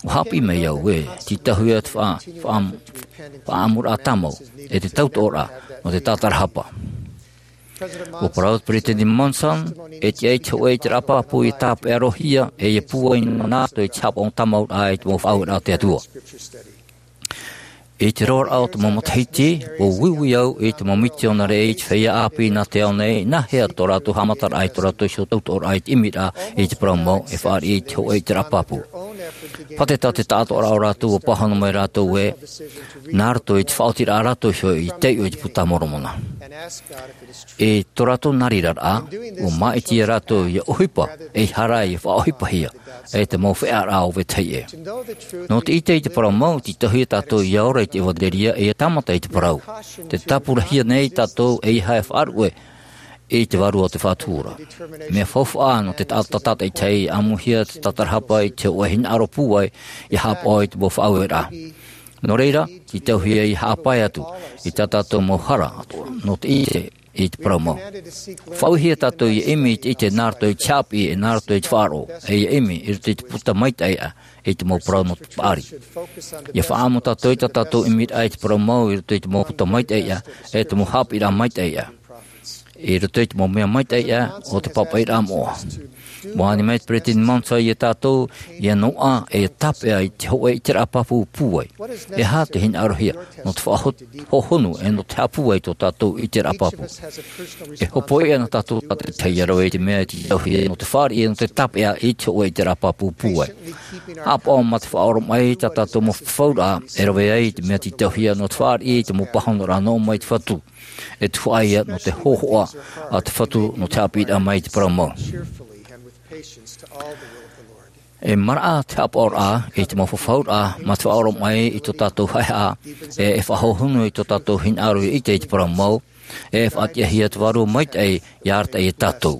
ʻUa haʻapiʻi mai au ē, tītauhia te faʻa-, faʻa-, faʻaʻamuraʻa tāmau, e te tautoʻoraʻa, nō te tātarahapa. ʻUa parau te Peresideni Monson, e tiʻa i te hōʻē ʻiteraʻa pāpū ʻia tāpeʻa-rohia, e ʻia pūai nā roto i te haʻapaʻo tāmau ra i te mau faʻaueraʻa a te Atua. I te roaraʻa o te mau matahiti, ʻua uiui au i te mau mitionare i te feiā ʻāpī nā te ao nei, nāhea tō rātou haʻamataraʻa i tō rātou iho tautoʻoraʻa i te ʻimiraʻa i te parau mau, e fāriʻi i te hōʻē ʻiteraʻa pāpū. Pāteta te taʻatoʻaraʻa o rātou ʻua pāhono mai rātou ē, nā roto i te faʻaotiraʻa rātou iho i taiʻo i te Puta Moromona. I tō rātou nā reira rā, ʻua māʻiti ia rātou ʻia ʻohipa, ʻeiaha rā ʻia faʻaʻohipahia, e te mau feʻaʻaraʻa o vetahi ʻē. Nō te ʻite i te parau mau, tītauhia tātou ʻia ora i te ʻevanelia, e ʻia tāmata i te parau. Tē tāpurahia nei tātou ʻeiaha e faʻaruʻe i te Vārua o te Fatu ra. Mea faufaʻa nō te taʻata tātaʻitahi, ʻāmuhia te tātarahapa i te hōʻē hinaʻaro pūai, ʻia haʻapaʻo i te mau faʻaueraʻa. Nō reira, tītauhia ʻia haʻapae atu i tā tātou mau hara atoʻa, nō te ʻite i te parau mau. Faʻauehia tātou ʻia ʻimi i te ʻite nā roto i te haʻapiʻi, e nā roto i te faʻaroʻo, e ʻia ʻimi i roto i te puta maitaʻi aʻe, i te mau parau nō te paʻari. ʻIa faʻaʻamu tātou i tā tātou ʻimiraʻa i te parau mau i roto i te mau puta maitaʻi aʻe, e te mau haʻapiʻiraʻa maitaʻi aʻe. I roto i te mau mea maitaʻi aʻe o te pāpaʻiraʻa moʻa. ʻUa ani mai te Peresideni Monson ia tātou, ʻia noaʻa, e tāpeʻa i te hōʻē ʻiteraʻa pāpū pūai. E aha te hinaʻarohia, nō te faʻaho-, hohonu, e nō te haʻapūai i tō tātou ʻiteraʻa pāpū. E hōpoi ana tātou tātaʻitahi ʻia rave i te mea e tītauhia, nō te fāriʻi, nō te tāpeʻa i te hōʻē ʻiteraʻa pāpū pūai. Haʻapaʻo mā te faʻaoromaʻi i tā tātou mau fafauraʻa, e rave ai i te mea tītauhia, nō te fāriʻi i te mau pāhonoraʻa nō mai te Fatu. E tuhaʻa ia nō te hōhoʻa a te Fatu nō te haʻapiʻiraʻa mai i te parau mau. E maraʻa te haʻapaʻoraʻa i te mau fafauraʻa, mā te faʻaoromaʻi i tō tātou haʻehaʻa, e, e faʻahohonu i tō tātou hinaʻaro ʻia ʻite i te parau mau, e faʻatiʻahia te Vārua Maitaʻi ʻia arataʻi ia tātou.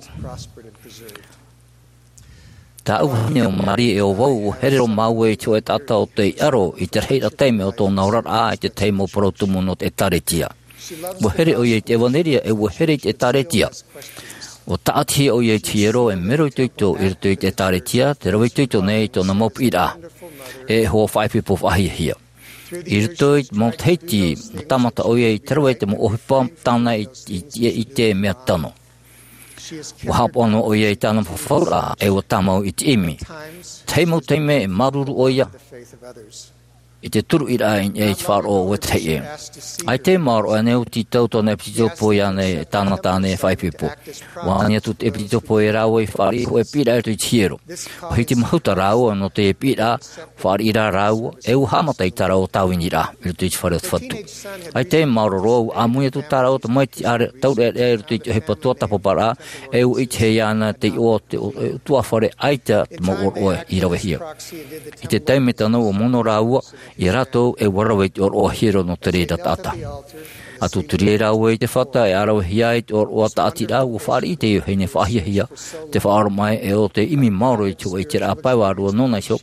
Tāʻu vahine ʻo Marie e ʻo vau, ʻua here roa māua i te hōʻē taʻata ʻo tei ʻaro i te rahiraʻa taime o tōna oraraʻa i te tahi mau parau tumu nō te ʻĒtārētia. ʻUa here ʻoia i te ʻevanelia, e ʻua here i te ʻĒtārētia. ʻUa tāʻatihia ʻoia i te hiero e mero itoito i roto i te ʻĒtārētia, te rave itoito nei i tōna mau piʻiraʻa. E hoa faʻaipoipo faʻahiahia. I roto i te mau matahiti, ʻua tāmata ʻoia i te rave i te mau ʻohipa tāna i, i, i, i te mea tano. ʻUa haʻapaʻo noa ʻoia i tāna fafauraʻa, e ʻua tāmau i te ʻimi. Tahi mau taime e māuruuru ʻoia i te turuʻiraʻa i niʻa i te faʻaroʻo o vetahi ʻē. ʻAita e maoro ʻoia ānei ʻo tītau tōna ʻepitopo iāna e tāna tāne faʻaipoipo. ʻUa ani atu te ʻepitopo ia rāua i fāriʻi hōʻē piʻiraʻa i roto i te hiero. ʻUa hiti mahuta rāua nō te piʻiraʻa, fāriʻi rā rāua, e ʻua haʻamata i tā rāua tāviniraʻa i roto i te fare o te Fatu. ʻAita e maoro roa, ʻua ʻāmui atu tā rāua tamaiti ʻāre-, taureʻareʻa i roto i te ʻohipa tuatāpaparaʻa, e ʻua ʻitehia ana te iʻoa o te ʻo-, e, ʻutuāfare ʻaita te mau ʻōroʻa i ravehia. I te taime tano ʻua mono rāua ia rātou, e ʻua rave i te ʻōroʻa hiero nō te reira taʻata. A tūturi ai rāua i te fata e ʻāravehia ai te ʻōroʻa tāʻatiraʻa, ʻua fāriʻi te vahine faʻahiahia, te faʻaoromaʻi e ʻo te ʻimi maoro i te hōʻē ʻiteraʻa pae vārua nōna iho,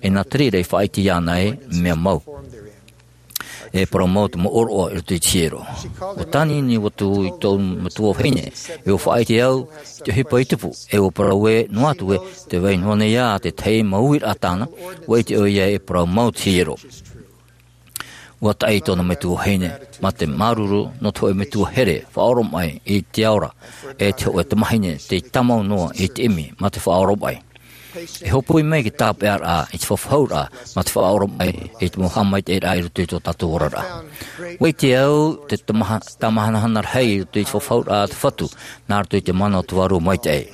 e nā te reira i faʻaʻite iāna e mea mau. E parau mau te mau ʻōroʻa i roto i te hiero. ʻUa tānini atu i tōʻu metua vahine, e ʻua faʻaʻite au i te ʻohipa i tupu, e ʻua parau ē noa atu ē, tē vai noa nei ā te tahi mau uiraʻa tāna, ʻua ʻite ʻoia e parau mau te hiero. ʻUa taʻi tōna metua vahine, mā te māuruuru nō te hōʻē metua here, faʻaoromaʻi i te ao ra, e te hōʻē tamahine, tei tāmau noa i te ʻimi, mā te faʻaoromaʻi. E hopoi mai te tāpeʻaraʻa i te fafauraʻa, mā te faʻaoromaʻi i te mau haʻamaitaʻiraʻa i roto i tō tātou oraraʻa. ʻUa ʻite au te tamaha-, tāmahanahana rahi i roto i te fafauraʻa a te Fatu, nā roto i te mana o te Vārua Maitaʻi.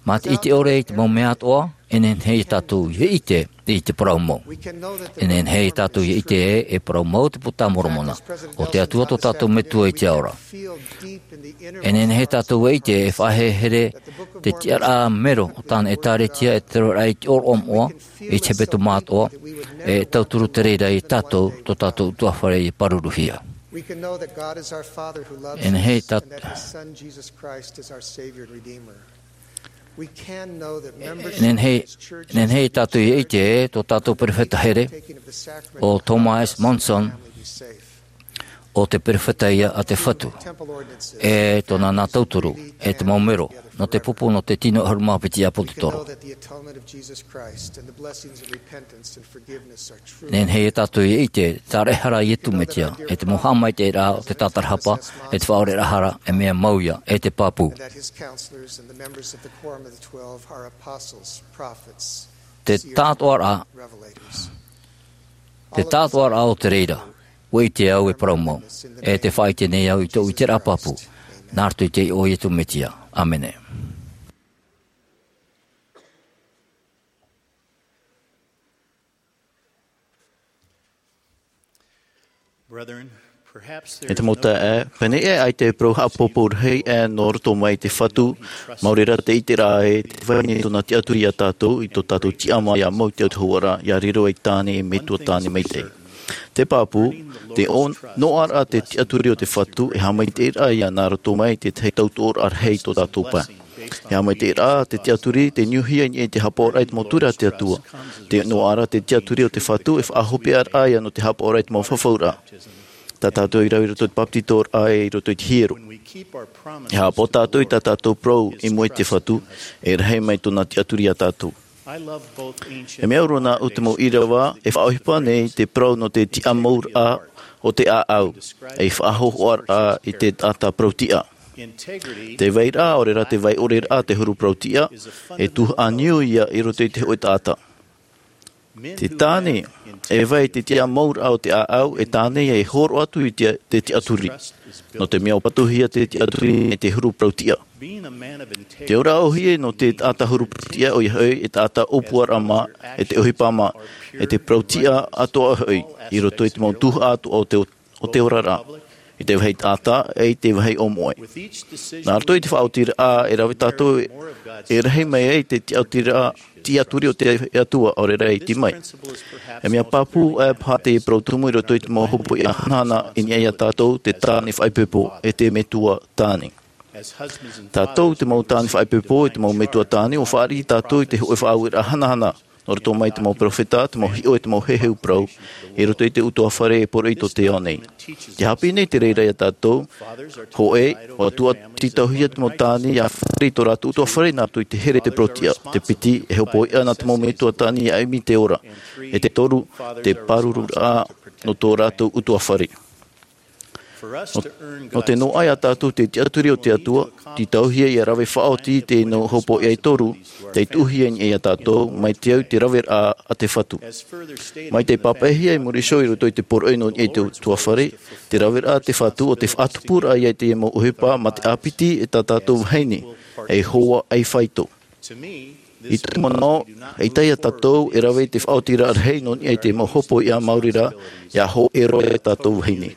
Mā te ʻite ʻore i te mau mea atoʻa, e nehenehe ia tātou ia ʻite i te parau mau. E nehenehe ia tātou ia ʻite ē, e parau mau te Puta a Moromona. ʻO te Atua tō tātou Metua i te ao ra. E nehenehe tātou e ʻite e faʻaherehere te tiʻaraʻa mero o tāna ʻĒtārētia e te raveraʻa i te ʻōroʻa moʻa, i te hepetoma atoʻa, e tauturu te reira ia tātou, tō tātou ʻutuāfare ia pāruruhia. E nehenehe tā-, e nehenehe, e nehenehe ia tātou ia ʻite ē, tō tātou perofeta here, ʻo Thomas Monson, ʻo te perofeta ïa a te Fatu, e tōna nā tauturu, e te mau mero, nō te pupu, nō te tino ʻahuru mā piti ʻāpōsetolo. E nehenehe ia tātou ia ʻite, tāraʻehara a Iesu Mesia, e te mau haʻamaitaʻiraʻa o te tātarahapa, e te faʻaoreraʻa hara, e mea mau ïa, e te pāpū. Te tātoʻaraʻa, te tātoʻaraʻa o te reira, ʻua ʻite au e parau mau, e tē faʻaʻite nei au i tōʻu ʻiteraʻa pāpū, nā roto i te iʻoa o Iesu Mesia. ʻĀmene. E te mau taeaʻe, pēnei ē ʻaita e parau haʻapāpū rahi ʻē nō roto mai te Fatu, mau reira te ʻiteraʻa ē, tē vai nei tōna tiʻaturi ia tātou, i tō tātou tiʻamā ʻia mau i te autahuʻaraʻa, ʻia riro ei tāne, ei metua tāne maitaʻi. Te pāpū, te o-, noaʻaraʻa te tiʻaturi o te Fatu, e haʻamaitaʻiraʻa ïa nā roto mai te tahi tautoʻoraʻa rahi i tō tātou pae. E haʻamaitaʻiraʻa te tiʻaturi, tē niuhia i niʻa i te haʻapaʻoraʻa i te mau ture a te Atua. Te noaʻaraʻa te tiʻaturi o te Fatu, e faʻahopeʻaraʻa ïa nō te haʻapaʻoraʻa i te mau fafauraʻa. Tā tātou i rave i roto i te bāpetizoraʻa e i roto i te hiero. E haʻapaʻo tātou i tā tātou parau i mua i te Fatu, e rahi mai tōna tiʻaturi ia tātou. E mea au roa nāʻu te mau ʻīrava, e faʻaʻohipa nei te parau nō te tiʻamauraʻa o te ʻāʻau, ei faʻahōhoʻaraʻa i te taʻata parau tiʻa. Te vairaʻa, ʻaore rā te vai ʻore raʻa te huru parau tiʻa, e tuhaʻa niu ïa i roto i te hōʻē taʻata. Te tāne, e vai te tiʻamauraʻa o te ʻāʻau, e tāne ïa e hōroʻa atu i te, te tiʻaturi. Nō te mea ʻua patuhia te tiʻaturi e te huru parau tiʻa. Te ora ʻōhie nō te taʻata huru parau tiʻa ʻoia hoʻi, e taʻata ʻōpuaraʻa mā, e te ʻohipa mā, e te parau tiʻa atoʻa hoʻi, i roto i te mau tuhaʻa atoʻa o te o te oraraʻa, i te vāhi taʻata, e i te vāhi ʻōmoʻe. Nā roto i te faʻaotiraʻa e rave tātou, e rahi mai ai te tiʻaturi, tiʻaturi o te Atua, ʻaore rā e iti mai. E mea pāpū, e paha te parau tumu i roto i te mau hopoiʻa hanahana i niʻa ia tātou, te tāne faʻaipoipo, e te metua tāne. Tātou te mau tāne faʻaipoipo, e te mau metua tāne, ʻua fāriʻi tātou i te hōʻē faʻaueraʻa hanahana, nō roto mai te mau perofeta, te mau hiʻo, e te mau heheu parau, i roto i te ʻutuāfare e poroʻi tō te ao nei. Tē haʻapiʻi nei te reira ia tātou, hōʻē, ʻua tuatāpapahia te mau tāne ʻia fāriʻi i tō rātou ʻutuāfare nā roto i te here i te parau tiʻa, te piti, e hopoiʻa nā te mau metua tāne ʻia ʻimi i te ora, e te toru, te pārururaʻa nō tō rātou ʻutuāfare. Nō, nō te noaʻa ia tātou te tiʻaturi o te Atua, tītauhia ʻia rave faʻaoti i te mau hopoiʻa e toru, tei tuʻuhia i niʻa ia tātou, mai te au i te raveraʻa a te Fatu. Mai tei pāpaʻihia i muri iho i roto i te poroʻi nō niʻa i te ʻutuāfare, te raveraʻa a te Fatu ʻo te faʻatupuraʻa ia i te mau ʻohipa mā te ʻāpiti e tā tātou vahine, ei hoa, ei faito. I tōʻu manaʻo, ʻaita ia tātou e rave i te faʻaotiraʻa rahi nō niʻa i te mau hopoiʻa maori rā, ʻia hōʻē roa ia tātou vahine.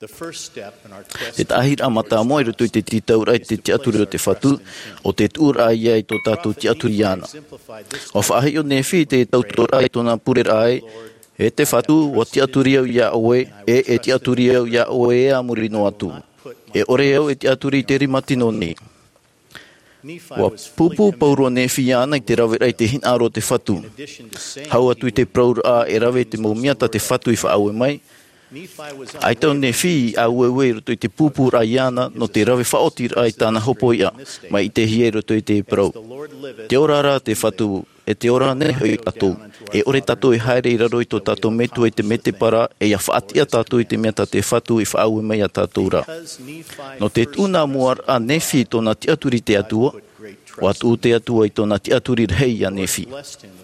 Te taʻahiraʻa mātāmua i roto i te tītauraʻa i te tiʻaturi o te Fatu, ʻo te tuʻuraʻa ia i tō tātou tiʻaturi iāna. ʻUa faʻahiʻo Nephi i te tautoʻoraʻa i tōna pureraʻa ē, E te Fatu, ʻua tiʻaturi au iā ʻoe, e, e tiʻaturi au iā ʻoe ē a muri noa atu. E ʻore au e tiʻaturi i te rima tino nei. ʻUa pūpū pauroa Nephi iāna i te raveraʻa i te hinaʻaro o te Fatu. Hau atu i te parauraʻa e rave te mau mea tā te Fatu i faʻaue mai, ʻaita ʻo Nephi i ʻāueue i roto i te pūpūraʻa iāna nō te rave faʻaotiraʻa i tāna hopoiʻa, mai ʻitehia i roto i te parau. Te ora ra te Fatu, e te ora nei hoʻi tātou. E ʻore tātou e haere i raro i tō tātou Metua i te mētēpara, e ʻia faʻatiʻa tātou i te mea tā te Fatu i faʻaue mai iā tātou ra. Nō te tuʻu nā mua ra a Nephi i tōna tiʻaturi i te Atua, ʻua tuʻu te Atua i tōna tiʻaturi rahi iā Nephi.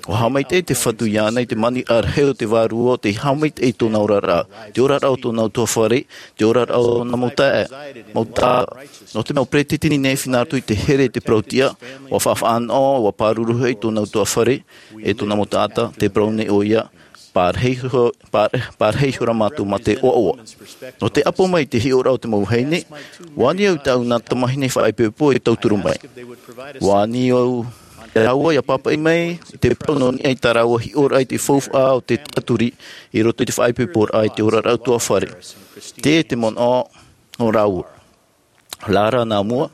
ʻUa haʻamaitaʻi te Fatu iāna i te maniraʻa rahi o te Vārua, ʻo tei haʻamaitaʻi i tōna oraraʻa, te oraraʻa o tōna ʻutuāfare, te oraraʻa o tōna mau taʻata, mau taʻata. Nō te mea ʻo Peresideni Nephi nā roto i te here i te parau-tiʻa, ʻua faʻanaho, ʻua pāruru hoʻi tōna ʻutuāfare, e tōna mau taʻata, tē parau nei ʻoia, pārahi iho-, pār-, pārahi ihora mātou mā te ʻoaʻoa. Nō te ʻapo mai i te hiʻoraʻa o te mau vahine, ʻua ani au i tāʻu nā tamahine faʻaipoipo e tauturu mai. ʻUa ani au iā rāua ʻia pāpaʻi mai i te parau nō niʻa i tā rāua hiʻoraʻa i te faufaʻa o te tiʻaturi i roto i te faʻaipoiporaʻa i te oraraʻa ʻutuāfare. Tē te manaʻo nō rāua. Rā rā nā mua.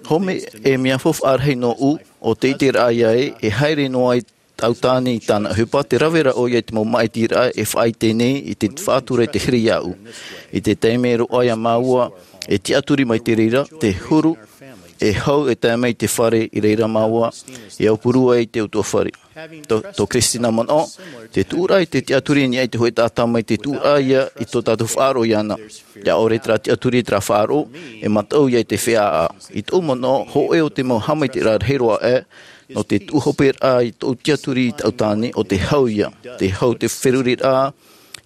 Hōʻē mea faufaʻa rahi nōʻu, ʻo te ʻiteraʻa ïa ē, e haere noa ai taʻu tāne i tāna ʻohipa, tē rave ra ʻoia i te mau māʻitiraʻa e faʻaʻite nei i te faʻatura i te here iāʻu. I te taime roa iā māua e tiʻaturi mai te reira, te huru, e hau e tae mai i te fare i reira māua, e aupuru ai i te ʻutuāfare. Tō, tō Christina manaʻo, te tuʻuraʻa i te tiʻaturi i niʻa i te hōʻē taʻata mai te tuʻuraʻa ïa i tō tātou faʻaroʻo iāna. ʻIa ʻore terā tiʻaturi terā faʻaroʻo, e mataʻu ïa i te feiā. I tōʻu manaʻo, hōʻē o te mau haʻamaitaʻiraʻa rahi roa aʻe, nō te tuʻu hoperaʻa i tōʻu tiʻaturi i tāʻu tāne, ʻo te hau ïa, te hau te feruriraʻa,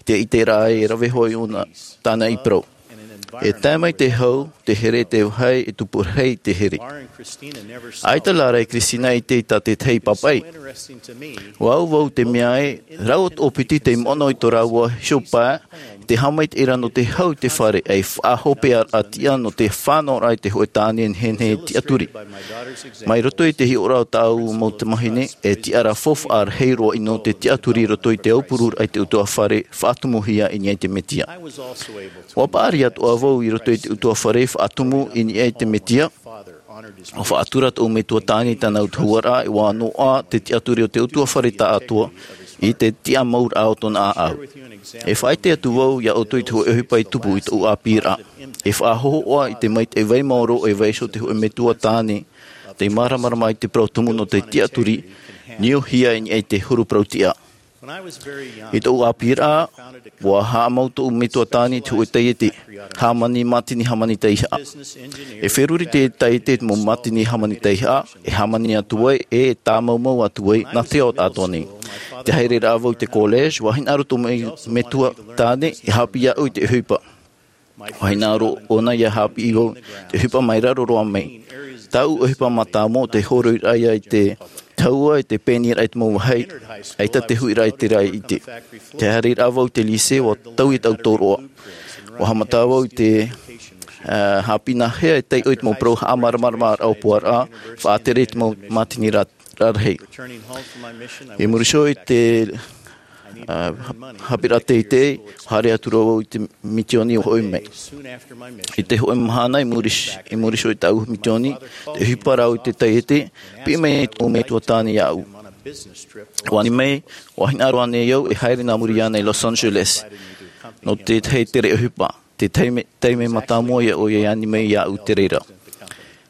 te ʻiteraʻa e rave hoʻi ʻōna tāna i parau. E tae mai te hau, te here te vāhi, e tupu rahi te here. ʻAita lā rā e Christina i ʻite i tā tētahi pāpaʻi. ʻUa au vau te mea ē, rāua tō piti tei manaʻo i tō rāua hiʻopoʻa, te haʻamaitaʻiraʻa nō te hau i te fare, ʻei faʻahoperaʻa tiʻa nō te fānaʻoraʻa i te hōʻē tāne nehenehe tiʻaturi. Mai roto i te hiʻoraʻa o tāʻu mau tamahine, e tiʻaraʻa faufaʻa rahi roa ʻino te tiʻaturi i roto i te aupururaʻa i te ʻutuāfare faʻatumuhia i niʻa i te Mesia. ʻUa paʻari atoʻa vau i roto i te ʻutuāfare faʻatumu i niʻa i te Mesia. ʻUa faʻatura tōʻu metua tāne i tāna autahuʻaraʻa, e ʻua noaʻa te tiʻaturi o te ʻutuāfare tāʻātoa i te tiʻamauraʻa o tōna ʻāʻau. E faʻaʻite atu vau iā ʻoutou i te hōʻē ʻohipa i tupu i tōʻu ʻāpīraʻa. E faʻahōhoʻa i te maitaʻi vai maoro e vaiiho te hōʻē metua tāne, tei māramarama i te parau tumu nō te tiʻaturi, niuhia i niʻa i te huru parau-tiʻa. I tōʻu ʻāpīraʻa, ʻua haʻamau tōʻu metua tāne i te hōʻē taiete, hāmani mātini hāmani taihaʻa. E feruri te taiete i te mau mātini hāmani taihaʻa, e hāmani atu ai, e tāmaumau atu ai, nā te ao atoʻa nei. Te haereraʻa vau i te college, ʻua hinaʻaro tōʻu mei-, metua tāne, e haʻapiʻi iāʻu i te ʻohipa. ʻUa hinaʻaro ʻōna ʻia haʻapiʻi vau, te ʻohipa mai raro roa mai. Tāʻu ʻohipa mātāmua ʻo te hōroʻaraʻa ïa i te tahua, i te pēniraʻa i te mau vāhi, ʻaita te huiraʻa i terā ʻite. Te haereraʻa vau i te lycée, ʻua taui tāʻu tōroʻa. ʻUa haʻamata vau i te, ā, haʻapiʻi nāhea e taiʻo i te mau parau haʻamāramaramaraʻa ʻōpuaraʻa, faʻatere i te mau mātini ra-, rarahi. I muri iho i te, ā, ha-, haʻapiʻiraʻa teitei, ʻua haere atu ra vau i te misiōni ʻua hoʻi mai. I te hōʻē mahana i muri, i muri iho i tāʻu misiōni, tē ʻohipa ra au i te taiete, piʻi mai tōʻu metua tāne iāʻu. ʻUa ani mai, ʻua hinaʻaro ānei au e haere nā muri iāna i Los Angeles. Nō te tahi tere ʻohipa, te taime, taime mātāmua ïa ʻoia i ani mai iāʻu i te reira.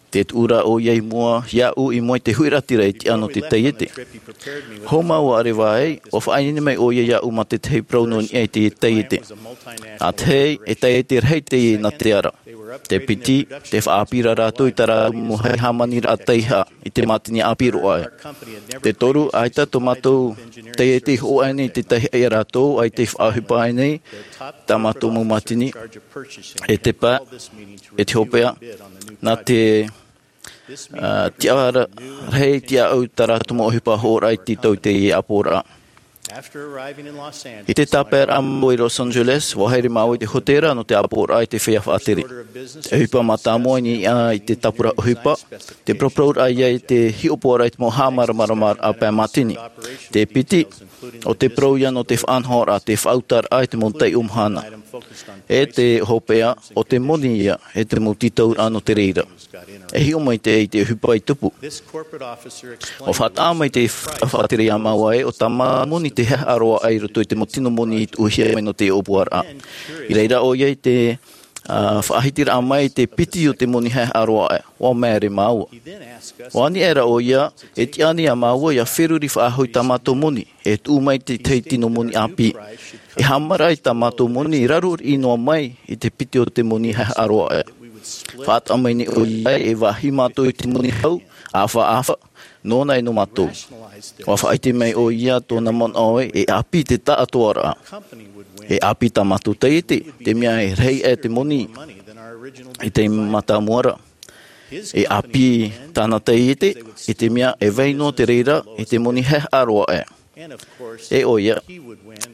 Tē tuʻu ra ʻoia i mua iāʻu i mua i te huiraʻatira e tiʻa nō te taiete. Hou māua ʻareva ai, ʻua faʻaineine mai ʻoia iāʻu mā te tahi parau nō niʻa i te taiete. Nā te hei, e taiete rahi teie nā te ara. Te piti, tē faʻaʻāpī ra rātou i tā rātou mau hāmaniraʻa taihaʻa, i te mātini ʻāpī roa aʻe. Te toru, ʻaita tō mātou taiete i hoʻo aʻe nei i te taihaʻa ia rātou, ʻaita i faʻaʻohipa aʻe nei, tā mātou mau mātini, e te pae, e te hopeʻa, nā te, ā, tiʻa ra-, rahi tiʻaʻau tā rātou mau ʻohipa hoʻoraʻa i tītau i teie ʻāpoʻoraʻa. I te tāpaeraʻa māua i Los Angeles, ʻua haere māua i te hōtēra nō te ʻāpoʻoraʻa i te feiā faʻatere. Te ʻohipa mātāmua i niʻa i te tāpura ʻohipa, te parauparau ia i te hiʻopoʻaraʻa i te mau haʻamāramaramaraʻa pae mātini. Te piti, ʻo te parau ia nō te faʻanahoraʻa, te faʻautaraʻa i te mau taiʻo mahana. E te hopeʻa, ʻo te moni ia, e te mau tītauraʻa nō te reira. E hiʻo mai te, i te ʻohipa i tupu. ʻUa faʻataʻa mai te fa-, faʻatere iā māua ē, ʻo tā māua moni te haʻehaʻa roa aʻe i roto i te mau tino moni i tuʻuhia mai nō te ʻōpuaraʻa. I reira ʻoia i te, ā, faʻahitiraʻa mai te piti o te moni haʻehaʻa roa aʻe, ʻua māere māua. ʻUa ani aʻera ʻoia, e tiʻa ānei iā māua ʻia feruri faʻahou i tā mātou moni, e tuʻu mai te tahi tino moni ʻāpī. E haʻamaraʻa i tā mātou moni i raro riʻi noa mai i te piti o te moni haʻehaʻa roa aʻe. Faʻataʻa mai nei ʻoia e vāhi mātou i te moni hau, ʻāfaʻafa, nōna e nō mātou. ʻUa faʻaʻite mai ʻoia tōna manaʻo ē, e ʻāpī te taʻatoʻaraʻa. E ʻāpī tā mātou taiete, te mea e rahi aʻe te moni i te mātāmua ra. E ʻāpī tāna taiete, i te mea e vai noa te reira, i te moni haʻehaʻa roa aʻe. E ʻoia,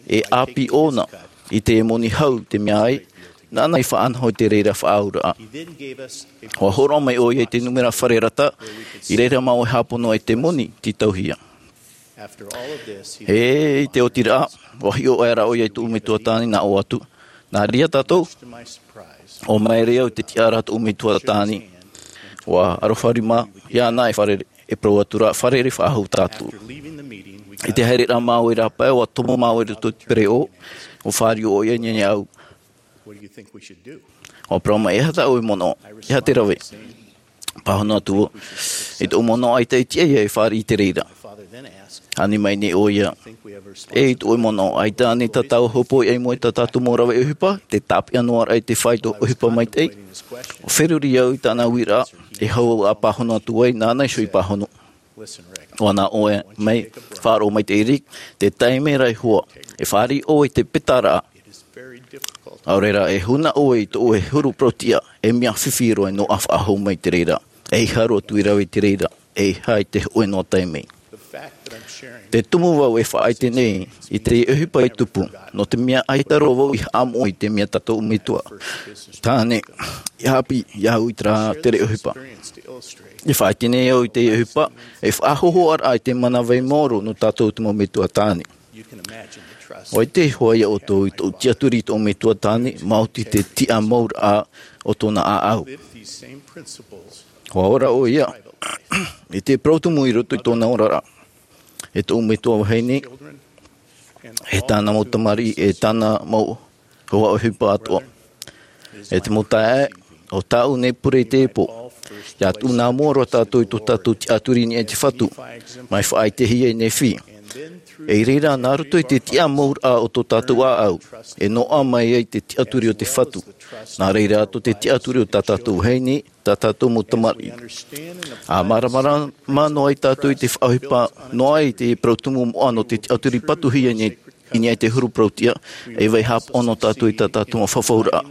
e ʻāpī ʻōna, i te moni hau, te mea ai, nāna i faʻanaho i te reira faʻaauraʻa. ʻUa hōroʻa mai ʻoia i te nūmera fare rata, i reira māua e hāpono ai te moni, tītauhia. E, i te ʻotiraʻa, ʻua hiʻo aʻera ʻoia i tōʻu metua tāne nā ʻō atu. Nā reira tātou, ʻua māere au i te tiʻaraʻa tōʻu metua tāne. ʻUa aroha rima, iāna e fārerei, e parau atu ra, fārerei faʻahou tātou. I te haereraʻa māua i rāpae, ʻua tomo māua i roto i te pereʻoʻo, ʻua fāriʻi ʻoia i niʻa iāʻu. ʻUa parau mai, e aha tā ʻoe manaʻo, e aha te rave? Pāhono atu vau, e tōʻu manaʻo ʻaita e tiʻa ia e fāriʻi i te reira. Ani mai nei ʻoia, e i tōʻu manaʻo, ʻaita ānei tā tāua hōpoiʻa i mua i tā tātou mau rave ʻohipa, te tāpeʻa noa raʻa i te fāito ʻohipa maitaʻi? ʻUa feruri au i tāna uiraʻa, e hau ā pāhono atu ai, nāna iho i pāhono. ʻUa nā ʻoe mai, faʻaroʻo maitaʻi Rick, te taime ra e hoa, e fāriʻi ʻoe i te petaraʻa. ʻAore rā, e huna ʻoe i tō ʻoe huru parau-tiʻa, e mea fifi roa e noaʻa faʻahou mai te reira. ʻEiaha roa atu i rave i te reira, ʻeiaha i te hōʻē noa taime. Te tumu vau e faʻaʻite nei i te ʻohipa i tupu, nō te mea ʻaita roa vau i haʻamoʻe i te mea tā tōʻu metua tāne i ʻāpī iāʻu i terā tere ʻohipa. E faʻaʻite nei au i te ʻohipa, e faʻahōhoʻaraʻa i te mana vai maoro nō tātou te mau metua tāne. ʻUa ʻite hoʻi ā ʻoutou i tōʻu tiʻaturi i tōʻu metua tāne, maoti te tiʻa mau raʻa o tōna ʻāʻau. ʻUa ora ʻoia, i te parau tumu i roto i tōna oraraʻa. E tōʻu metua vahine, e tāna mau tamariʻi, e tāna mau hoa ʻohipa atoʻa. E te mau taeaʻe, ʻo tāʻu nei pure i teie pō. ʻIa tuʻu nā mua roa tātou i tō tātou tiʻaturi i niʻa i te Fatu, mai faʻaʻitehia i Nephi. E i reira, nā roto i te tiʻa mau raʻa o tō tātou ʻāʻau, e noaʻa mai ai te tiʻaturi o te Fatu. Nā reira atoʻa te tiʻaturi o tā tātou vahine, tā tātou mau tamariʻi. ʻA māramarama noa ai tātou i te faʻaʻohipa noa ai te parau tumu moʻa nō te tiʻaturi patuhia i niʻa i te huru parau-tiʻa, e vai hāpaʻo noa tātou i tā tātou mau fafauraʻa.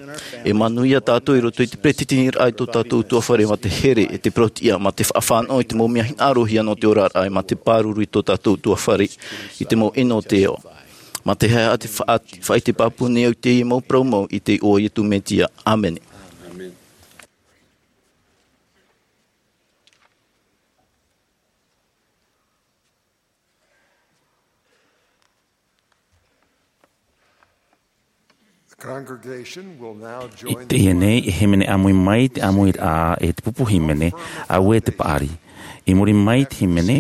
E manuia tātou i roto i te peretiteniraʻa i tō tātou ʻutuāfare mā te here, e te parau-tiʻa, mā te faʻafānaʻo i te mau mea hinaʻarohia nō te oraraʻa, e mā te pāruru i tō tātou ʻutuāfare, i te mau ʻino o te ao. Mā te haʻa te faʻa-, faʻaʻite pāpū nei au i teie mau parau mau i te iʻoa o Iesu Mesia. ʻĀmene. I teie nei, e hīmene ʻāmui mai te ʻāmuiraʻa e te pupu hīmene, auē te paʻari. I muri mai te hīmene,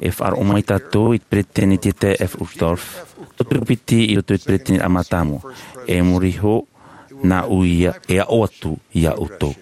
e faʻaroʻo mai tātou i te peretiteni Dieter F. Uchtdorf, tauturu piti i roto i te peretiteniraʻa mātāmua. E muri iho, nā ʻu ia e aʻo atu iā ʻoutou.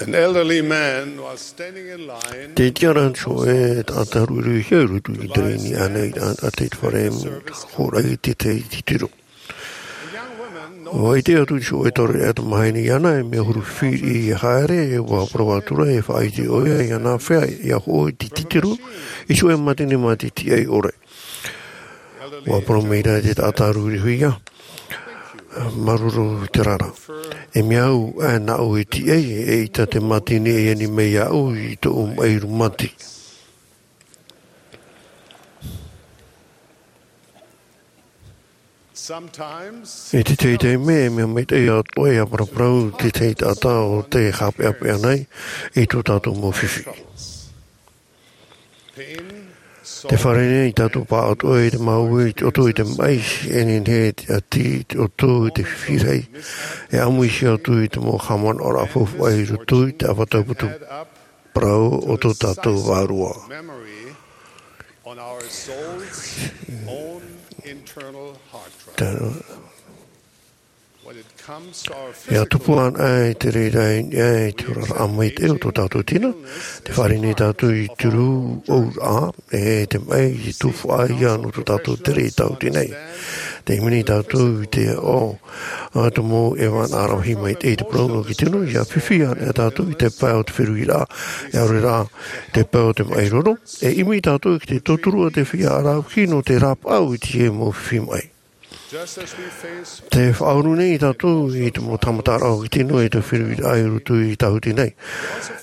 An elderly man was standing in line. Te tiʻaraʻa atu e taʻata ruiruihia i roto i te rēni ʻānei a te fare, hōroʻa i te titiro. Ua ʻite atu te hōʻē taureʻareʻa tamāhine iāna e mea huru fifi i haere, ua parau atu ra e faʻaʻite ʻoia i ana fea ia hoʻo i te titiro i te hōʻē mātini mā te tiʻai ʻore. Ua parau mai ra te taʻata ruiruihia, māuruuru te reira. E mea au ā nāʻu e tiʻai, eʻita te mātini e ani mai iāʻu i tōʻu maʻi rūmati. I te tahi taime e mea maitaʻi atoʻa ia paraparau te tahi taʻata o tē haʻapeʻapeʻa nei i tō tātou mau fifi. Tē fārerei nei tātou pāʻatoʻa i te māuiui i te ʻoto i te maʻi, e nehenehe te ʻati i te ʻoto i te fifi rahi, e ʻāmuihia atu i te mau haʻamanaʻoraʻa faufaʻa i roto i te ʻāvaʻe tauputu parau o tō tātou vārua. Ia tupu ana i te reira i niʻa i te oraraʻa maitaʻi o tō tātou tino, tē fārerei nei tātou i te rūʻauraʻa, e te maʻi i tufaʻa ia nō tō tātou tere i tāuti nei. Tē ʻimi nei tātou i te aʻo a te mau ʻēvana rahi maitaʻi i te parau nō te tino, ia fifi ana tātou i te pae o te feruriraʻa, e ʻaore rā te pae o te maʻi roro, e ʻimi tātou i te tauturu a te feiā ʻaravihi nō te rāpaʻau i te mau fifi maʻi. Tē faʻauru nei tātou i te mau tāmataraʻa o te tino i te feruriraʻa i roto i tāuti nei.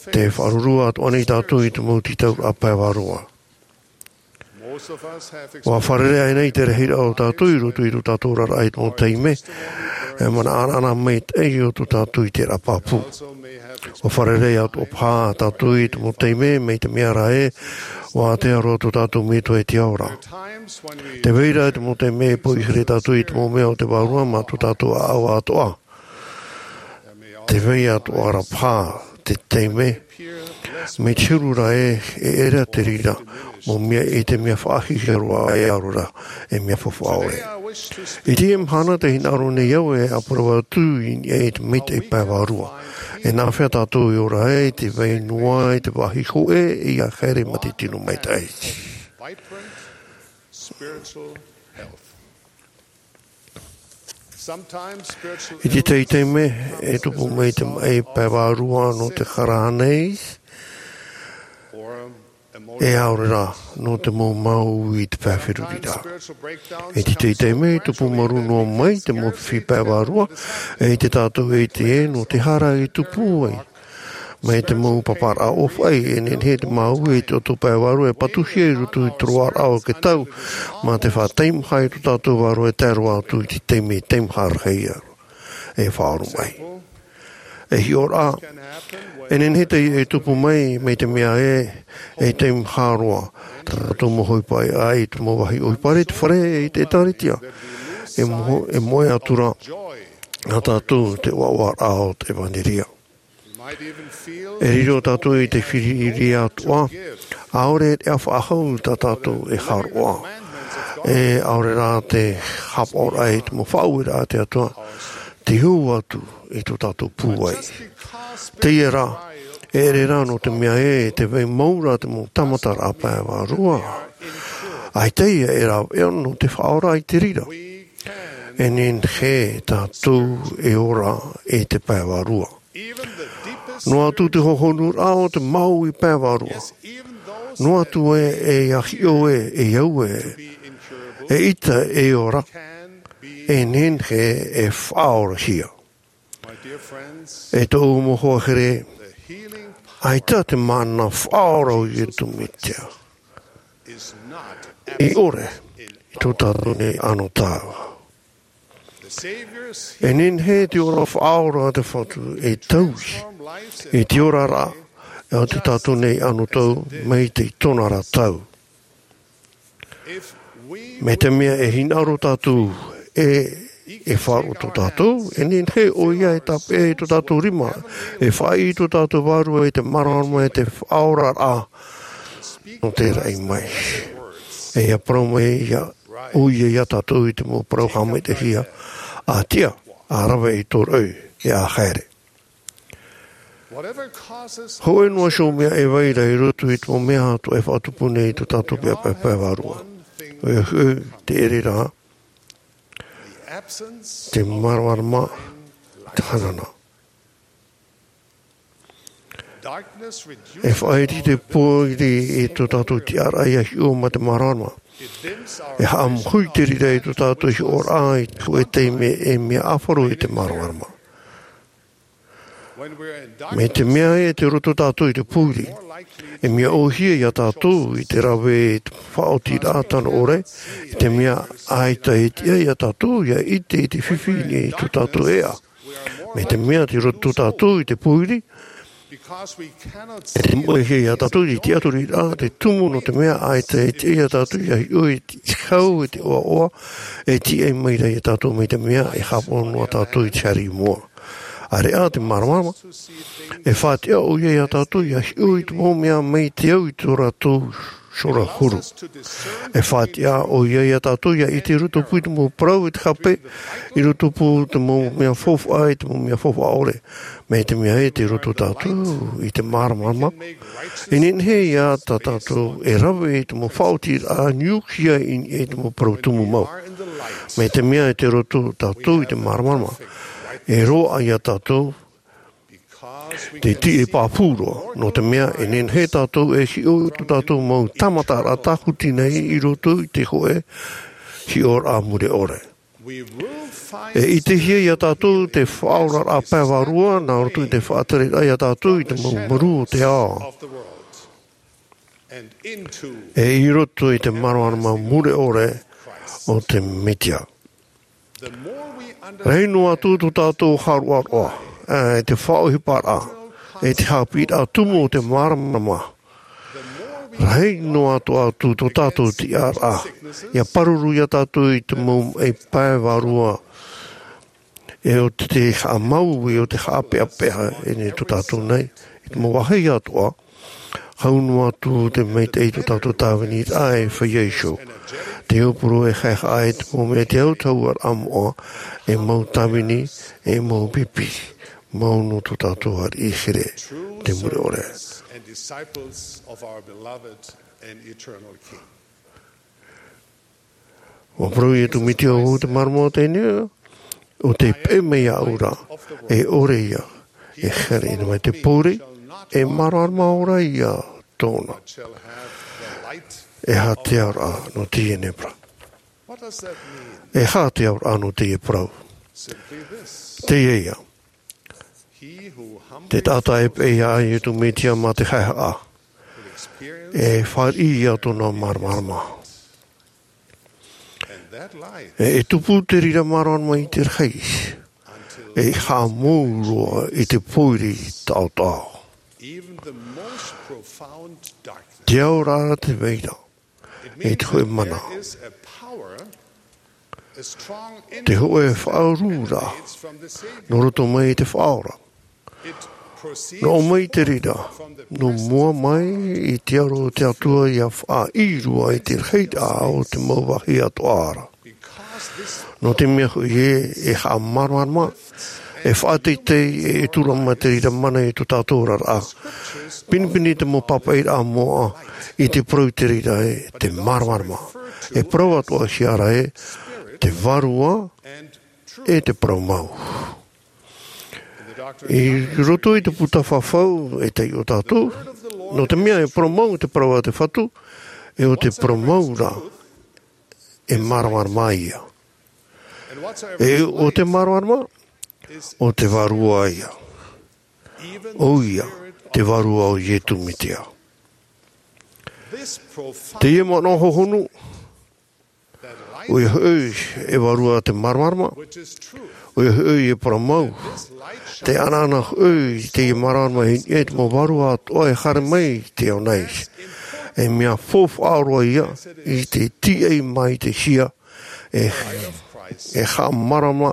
Tē faʻaruarua atoʻa nei tātou i te mau tītauraʻa pae vārua. Ua fārerei aʻe nei te rahiraʻa o tātou i roto i tō tātou oraraʻa i te mau taime, e manaʻo anaʻana maitaʻi o tō tātou i terā pāpū. Ua fārerei atoʻa paha tātou i te mau taime, mai te mea rā ē, ua ātea roa tō tātou Metua i te ao ra. Tē vai ra te mau taime e poʻi here tātou i te mau mea o te vārua mā tō tātou ʻāʻau atoʻa. Tē vai atoʻa ra paha te taime, mai te huru ra ē, e ʻere te reira mau mea i te mea faʻahiahia roa, e ʻaore rā e mea faufaʻa ʻore. I teie mahana tē hinaʻaro nei au e parau atu i niʻa i te maitaʻi pae vārua. E nāfea tātou e ora ai, tē vai noa i te vāhi hōʻē ia haere mā te tino maitaʻi. I te tahi taime e tupu mai te maʻi pae vārua nō te hara nei, e ʻaore rā nō te mau māuiui i te pae feruriraʻa. I te tahi taime e tupu maru noa mai te mau fifi pae vārua, e ʻite tātou e ʻite ē nō te hara i tupu ai. Mai te mau paparaʻa ʻōfaʻi, e nehenehe te māuiui i te ʻoto pae vārua e patuhia i roto i te roaraʻa o te tau, mā te faʻateimaha i tō tātou vārua e tae roa atu i te taime teimaha rahi e faʻaroʻo mai. E hiʻoraʻa, e nehenehe teie e tupu mai, mai te mea ē, e teimaha roa tā tātou mau ʻohipa i te mau vāhi ʻohipa i te fare, i te ʻĒtārētia. E moe, e moe atu ra nā tātou te ʻoaʻoaraʻa o te ʻevanelia. E riro tātou i te firi ʻiri atoʻa, ʻaore e faʻahou tā tātou e hāroʻa. E ʻaore rā te haʻapaʻoraʻa i te mau faʻaueraʻa a te Atua, tē hau atu i tō tātou pūai. Teie rā, e ʻere rā nō te mea ē, tē vai mau ra te mau tāmataraʻa pae vārua. ʻAita ia e rāveʻa nō te faʻaora i te reira. E nehenehe tātou e ora i te pae vārua. Noa atu te hohonuraʻa o te māuiui pae vārua. Noa atu ē, e hiʻo ē, e au ē, eʻita e ora, e nehenehe e faʻaorahia. E tōʻu mau hoa here, ʻaita te mana faʻaora o Iesu Mesia i ʻore i tō tātou nei anotau. E nehenehe te ora faʻaora a te Fatu e taui i te oraraʻa a tō tātou nei anotau mai te itonaʻa tau. Mai te mea e hinaʻaro tātou ē e faʻaroʻo tō tātou, e nehenehe ʻoia e tāpeʻa i tō tātou rima, e faʻaʻī i tō tātou vārua i te māramarama e te faʻaoraraʻa nō te raʻi mai. E ia parau mai ia ʻoia ia tātou i te mau parau haʻamaitaʻihia, ʻa tiʻa, ʻa rave i tō raʻi, e ʻa haere. Hōʻē noa iho mea e vai ra i roto i te mau mea atoʻa e faʻatupu nei i tō tātou paepae vārua. ʻOia hoʻi te ʻere ra, te māramarama, te hanahana. E faʻaiti te pōiri i tō tātou tiʻaraʻa ʻia hiʻo mā te māramarama. E haʻamoʻe te reira i tō tātou hiʻoraʻa i te hōʻē taime e mea ʻāfaro i te māramarama. Mai te mea e te roto tātou i te pōiri, e mea ʻōhie ia tātou i te rave i te faʻaotiraʻa tano ʻore, i te mea ʻaita e tiʻa ia tātou ʻia ʻite i te fifi i tō tātou ʻēʻa. Mai te mea te roto tātou i te pōiri, e te moʻehia ia tātou i te tiʻaturiraʻa te tumu, nō te mea ʻaita e tiʻa ia tātou ʻia hiʻo i te hau, i te ʻoaʻoa e tiʻa mai ra ia tātou, mai te mea e haʻapaʻo noa tātou i te haere i mua. ʻAreʻa te māramarama, e faʻatiʻa ʻoia ia tātou ʻia hiʻo i te mau mea mai te au i tō rātou huru. E faʻatiʻa ʻoia ia tātou ʻia ʻite i roto pū i te mau parau e te hape, i roto pū i te mau mea faufaʻa, i te mau mea faufaʻa ʻore. Mai te mea e te roto tātou i te māramarama, e nehenehe ia tā tātou e rave i te mau faʻaotiraʻa niuhia i niʻa i te mau parau tumu mau. Mai te mea e te roto tātou i te māramarama, e roaʻa ia tātou te tiʻi pāpū roa, nō te mea e nehenehe tātou e hiʻo i tō tātou mau tāmataraʻa tāhuti nei i roto i te hōʻē hiʻoraʻa mure ʻore. E ʻitehia ia tātou te faʻaoraraʻa pae vārua, nā roto i te faʻatereraʻa ia tātou i te mau marū o te ao. E i roto i te māramarama mure ʻore o te Mesia. Rahi noa atu tō tātou haʻaroʻaroʻa, ā, e te faʻaʻohiparaʻa, e te haʻapiʻiraʻa tumu o te māramarama. Rahi noa atu tō tātou tiʻaraʻa, ʻia pāruru ia tātou i te mau maʻi pae vārua, e ʻo te haʻamau, e ʻo te haʻapeʻapeʻa, e nei tō tātou nei, i te mau vāhi atoʻa, hau noa atu te maitaʻi i tō tātou tāviniraʻa e feiā iho. Te aupuru e haehaʻa i te mau mea te autahuʻaraʻa moʻa, e mau tāvini, e mau pipi, mau nō tō tātou ariʻi here, te mure ʻore. And disciples of our beloved and eternal King. ʻUa parau Iesu Mesia, ʻo te māramarama o teie nei, ʻo tē peʻe mai iāʻu ra, e ʻore ia e haere mai te pōiri, e māramarama ora ia tōna. E aha te auraʻa nō teie nei parau? E aha te auraʻa nō teie parau? Teie ia. Te taʻata e peʻe iā Iesu Mesia mā te haehaʻa, e fāriʻi ia tōna māramarama. E, e tupu te reira māramarama i te rahi, e haʻamou roa i te pōiri taʻotaʻo. Te ao rā te reira, e te hōʻē mana. Te hōʻē faʻaururaʻa nō roto mai i te Faʻaora. Nō ʻō mai te reira, nō mua mai i te aro o te Atua ʻia faʻaʻī roa i te rahiraʻa o te mau vāhi atoʻa ra. Nō te mea hoʻi ē, e haʻamāramarama, e faʻateitei, e, e tura mai te reira mana i tō tātou oraraʻa. Pinepine te mau pāpaʻiraʻa moʻa i te parau i te reira ē, te māramarama. E parau atoʻahia ra ē, te Vārua, e te Parau Mau. I roto i te puta fafau, e taiʻo tātou, nō te mea e parau mau te parau a te Fatu, e ʻo te parau mau rā, e māramarama ia. E ʻo te māramarama, ʻo te Vārua ia. ʻO ia, te Vārua o Iesu Mesia. Teie manaʻo hohonu, ʻoia hoʻi e Vārua te māramarama, ʻoia hoʻi e parau mau, te ʻanaʻana hoʻi i teie māramarama i niʻa i te mau vārua atoʻa e haere mai i te ao nei. E mea faufaʻa roa ia i te tīaʻi mai i te hia, e, e haʻamārama,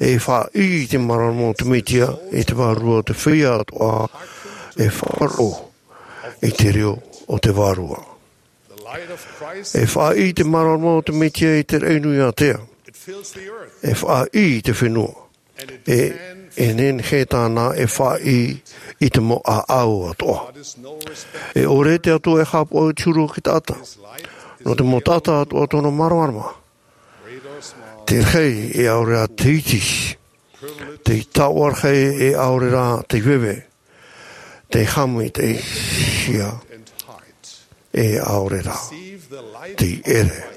e faʻaʻī i te māramarama o te Mesia, e te Vārua o te feiā atoʻa, e faʻaroʻo i te reo o te Vārua. E faʻaʻī te māramarama o te Mesia i te raʻi nui ātea. E faʻaʻī te fenua. E, E nehenehe tāna e faʻaʻī i te mau ʻāʻau atoʻa. E ʻore te Atua e haʻapaʻo i te huru o te taʻata. Nō te mau taʻata atoʻa tōna māramarama. Te rahi e ʻaore rā te iti. Te taoʻa rahi e ʻaore rā te veve. Te haʻamaitaʻi hia e ʻaore rā te ʻere.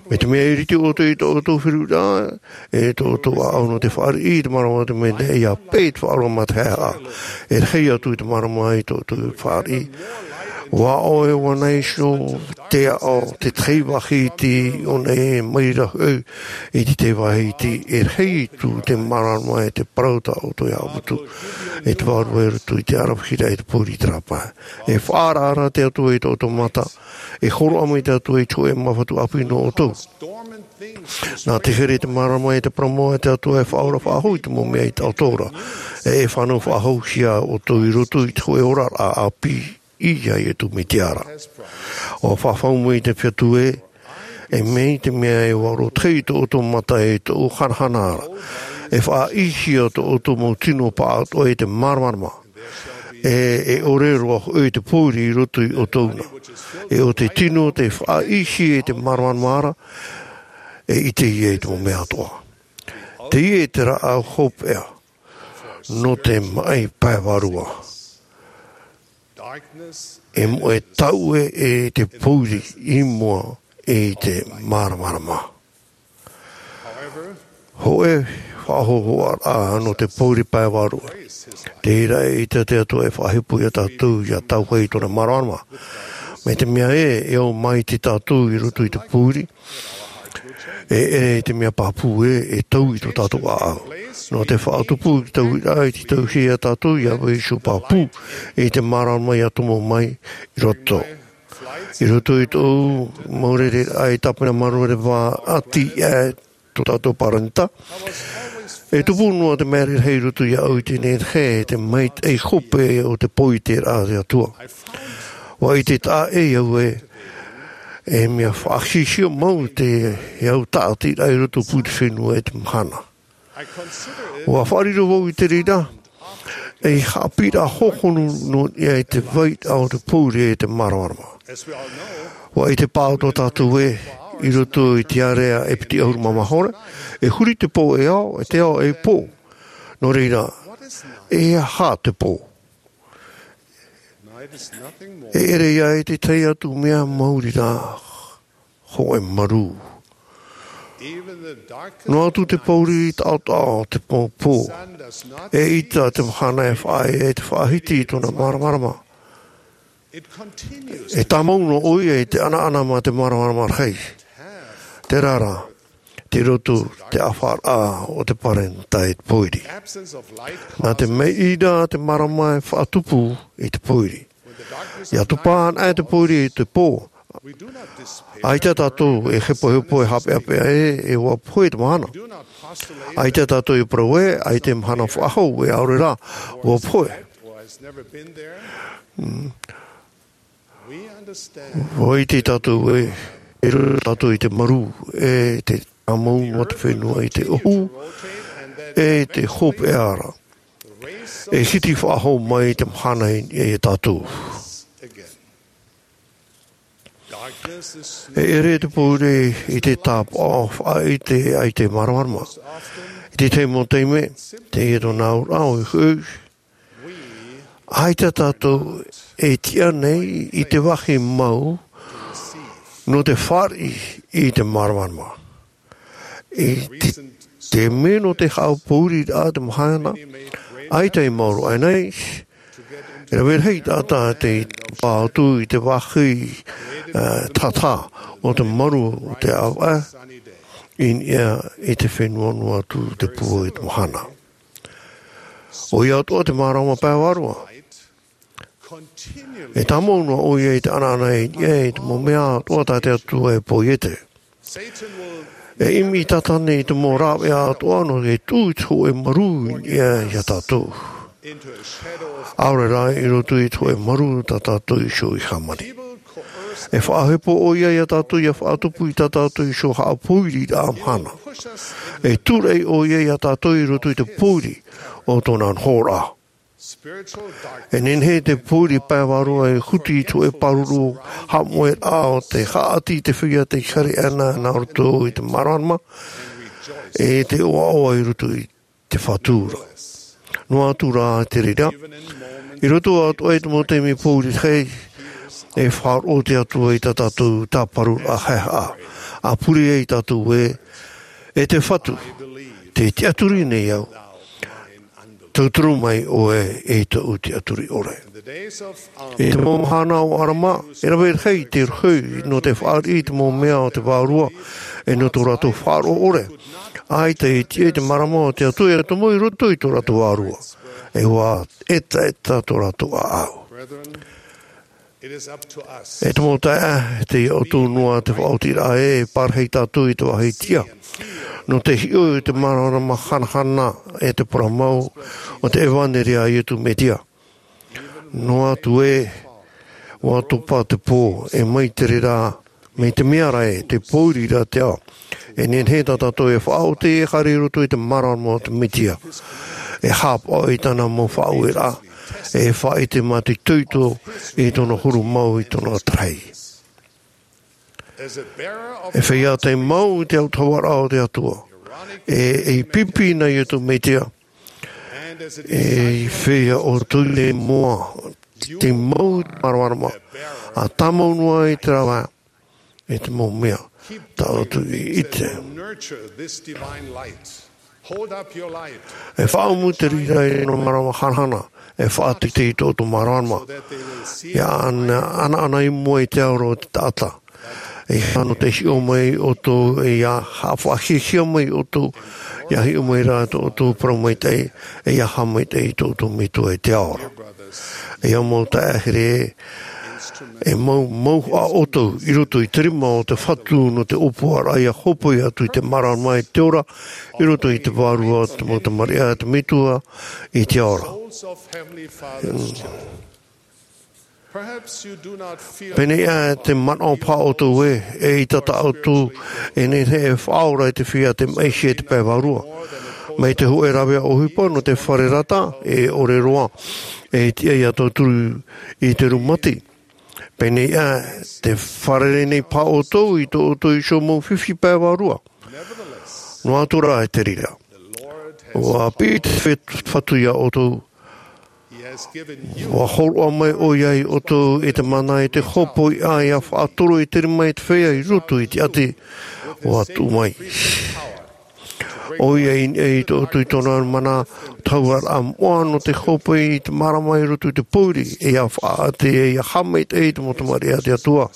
Mai te mea e ʻiriti ʻoutou i tō ʻoutou feruriraʻa, e tō ʻoutou ʻāʻau nō te fāriʻi i te marama o te mea nei, ʻia pē te faʻaroa mā te haʻehaʻa. E rahi atu i te marama i tō ʻoutou fāriʻi. ʻUa ʻoe, ʻua nā iho te aʻo, te tahi vāhi iti, ʻōna e mai ra hoʻi i te tahi vāhi iti, e rahi atu te marama e te parau tā ʻoutou e haʻaputu, e te vārua i roto i te ʻaravihi-raʻa, i te pōuri, i te rāpae. E faʻaararaʻa te Atua i tō ʻoutou mata, e hōroʻa mai te Atua i te hōʻē māfatu ʻāpī nō ʻoutou. Nā te here i te marama e te parau mau a te Atua e faʻaora faʻahou i te mau mea i taʻoto ra, e e fānau faʻahouhia ʻoutou i roto i te hōʻē oraraʻa ʻāpī ia Iesu Mesia ra. ʻUa faʻafau mai te Fatu ē, e mai te mea e ʻua roto i tō ʻoutou mata e tōʻu hanahana ra, e faʻaʻīhia tō ʻoutou mau tino pāʻatoʻa i te māramarama. E, e ʻore roa hoʻi te pōuri i roto ia ʻoutou na. E ʻo te tino tē faʻaʻīhia i te māramarama ra, e ʻite ia i te mau mea atoʻa. Teie te rāʻau hopeʻa nō te maʻi pae vārua. E moʻe taue e te pōuri i mua i te māramarama. Hōʻē faʻahou-, hōʻē faʻahou-, hōʻē faʻahou-, nō te pōuri pae vārua. Terā e ʻite te Atua e faʻahepo ia tātou ʻia tae i tōna māramarama. Mai te mea ē, e au maitaʻi tātou i roto i te pōuri, e ʻere i te mea pāpū ē, e tau i tō tātou ʻāʻau. Nō te faʻatupu i te tauiraʻa i te tauhia ia tātou, ʻia vai iho pāpū i te māramarama ʻia tomo mai i roto. I roto i tōʻu mau rereraʻa i tāpena marureva ʻati aʻe tō tātou paranita, e tupu noa te mea rahi i roto iāʻu i teie nei, e te maitaʻi hope o te pōuri terā a te Atua. ʻUa ʻite taʻa ʻē au ē, e mea faʻahiahia mau te, e au tāʻatiraʻa i roto pū i te fenua e te mahana. ʻUa faʻariro vau i te reira, ei haʻapiʻiraʻa hōhonu nō niʻa i te vairaʻa o te pōuri e te māramarama. ʻUa ʻite paʻatoʻa tātou ē, i roto i te ārea e piti ʻahuru mā maha ora, e huri te pō e ao, e te ao e pō. Nō reira, e aha te pō? E ʻere ia i te tahi atu mea maori rā, hōʻē marū. Noa atu te pōuri taʻotaʻo te pō, pō. E ʻita te mahana e faʻaea e te faʻahiti i tōna māramarama. E tāmau noa ʻoia i te ʻanaʻana mā te māramarama rahi. Terā rā, tei roto te ʻāfaraʻa o te paranita i te pōuri. Nā te mea ʻī ra te marama e faʻatupu i te pōuri. ʻIa tupa ana te pōuri i te pō. ʻAita tātou e hepohepo e haʻapeʻapeʻa ē, e ʻua pohe te mahana. ʻAita tātou e parau ē, ʻaita e mahana faʻahou, e ʻaore rā, ʻua pohe. Mm. ʻUa ʻite tātou ē, e riro tātou i te marū, e te tāmau noa te fenua i te ʻohu, e te hopeʻa ra. E hiti faʻahou mai te mahana i, i tātou. E ʻere te pōuri i te tāpaʻo faʻaʻite ai te māramarama. I te tahi mau taime, teie tōna auraʻa ʻoia hoʻi, ʻaita tātou e tiʻa nei i te vāhi mau nō te fāriʻi i te māramarama. I te, te mea nō te haʻapōuriraʻa te mahana, ʻaita i maoro aʻe nei, e rave rahi taʻata tei pā atu i te vāhi, eh, tātā o te maru o te ʻāvaʻe, i niʻa i te fenua noa atu te pū i te mahana. ʻOia atoʻa te māramarama pae vārua. E tāmau noa ʻoia i te ʻanaʻana i niʻa i te mau mea atoʻa tā te Atua e pō iā te. E ʻimi Tātane i te mau rāveʻa atoʻa nō te tuʻu i te hōʻē marū i niʻa iā tātou. ʻAore rā i roto i te hōʻē marū tā tātou iho i hāmani. E faʻahepo ʻoia iā tātou ʻia faʻatupu i tā tātou iho haʻapōiriraʻa mahana. E tūraʻi ʻoia iā tātou i roto i te pōiri o tōna nohoraʻa. E nehenehe te pōiri pae vārua e huti i te hōʻē pāruru haʻamoʻeraʻa o te haʻati i te feiā tei haere ana nā roto i te māramarama, e te ʻoaʻoa i roto i te Fatu ra. Noa atu rā te reira, i roto atoʻa i te mau taime pōiri rahi, e faʻaroʻo te Atua i tā tātou tāparuraʻa haehaʻa, ʻa pure ai tātou ē, e te Fatu, tē tiʻaturi nei au, tauturu mai ʻoe e tōʻu tiʻaturi ʻore. I te mau mahana o Arama, e rave rahi te rohi nō te fāriʻi i te mau mea o te vārua, e nō tō rātou faʻaroʻo ʻore. ʻAita e tiʻa i te mārama o te Atua e tomo i roto i tō rātou vārua. E ʻua etaeta tō rātou ʻāʻau. E te mau taeaʻe, tei iā ʻoutou noa te faʻaotiraʻa ē, e pārahi tātou i te vāhi tiʻa. Nō te hiʻo i te māramarama hanahana e te parau mau o te ʻevaneria a Iesu Mesia. Noa atu ē, ʻua topa te pō, e mai te reira, mai te mea ra ē, te pōiri ra te ao. E nehenehe tā tātou e faʻaoti e haere i roto i te māramarama o te Mesia. E haʻapaʻo i tāna mau faʻaueraʻa, e faʻaʻite mātoitoito i tōna huru mau i tōna tahi. E feiā tei mau i te autahuʻaraʻa o te Atua. E, e pipi nā Iesu Mesia. E feiā ʻoutou i moʻa, tei mau i te māramarama. ʻA tāmau noa i te rāveʻa, e te mau mea, tā ʻoutou i ʻite. E faʻaʻumu te reira i nō māramarama hanahana, e faʻateitei i tō ʻoutou māramarama. ʻIa ana, anaana i mua i te aroha o te taʻata. E ʻia nō te hiʻo mai ʻoutou, e ʻia haʻafaʻahiahia mai ʻoutou, ʻia hiʻo mai rā tō ʻoutou parau maitaʻi, e ʻia haʻamaitaʻi i tō ʻoutou Metua i te ao ra. E ʻia mau taeaʻe here, e mau, mauhaʻa ʻoutou i roto i te rima o te Fatu nō te ʻōpuaraʻa ʻia hōpoi atu i te māramarama i te ora, i roto i te vārua o te mau tamariʻi a te Metua i te ao ra. Pēnei ā te manaʻo paha ʻoutou ē, eʻita tā ʻoutou e nehenehe e faʻaora i te feiā tei maʻihia i te pae vārua. Mai te hōʻē rāveʻa ʻohipa nō te fare rata, e ʻore roa, e tiʻa ʻia tauturu i te rūmati. Pēnei ā, tē fārerei nei paha ʻoutou i tō ʻoutou iho mau fifi pae vārua. Noa atu rā te reira. ʻUa piʻi te Fatu iā ʻoutou. ʻUa hōroʻa mai ʻoia iā ʻoutou i te mana i te hōpoi ʻā ʻia faʻatoro i te rima i te feiā i roto i te ʻati. ʻUa tuʻu mai. ʻOia i, i tō ʻoutou i tōna mana, tahuʻaraʻa moʻa nō te hōpoi i te mārama i roto i te pōiri, e ʻia faʻaʻite, e ʻia haʻamaitaʻi i te mau tamariʻi a te Atua.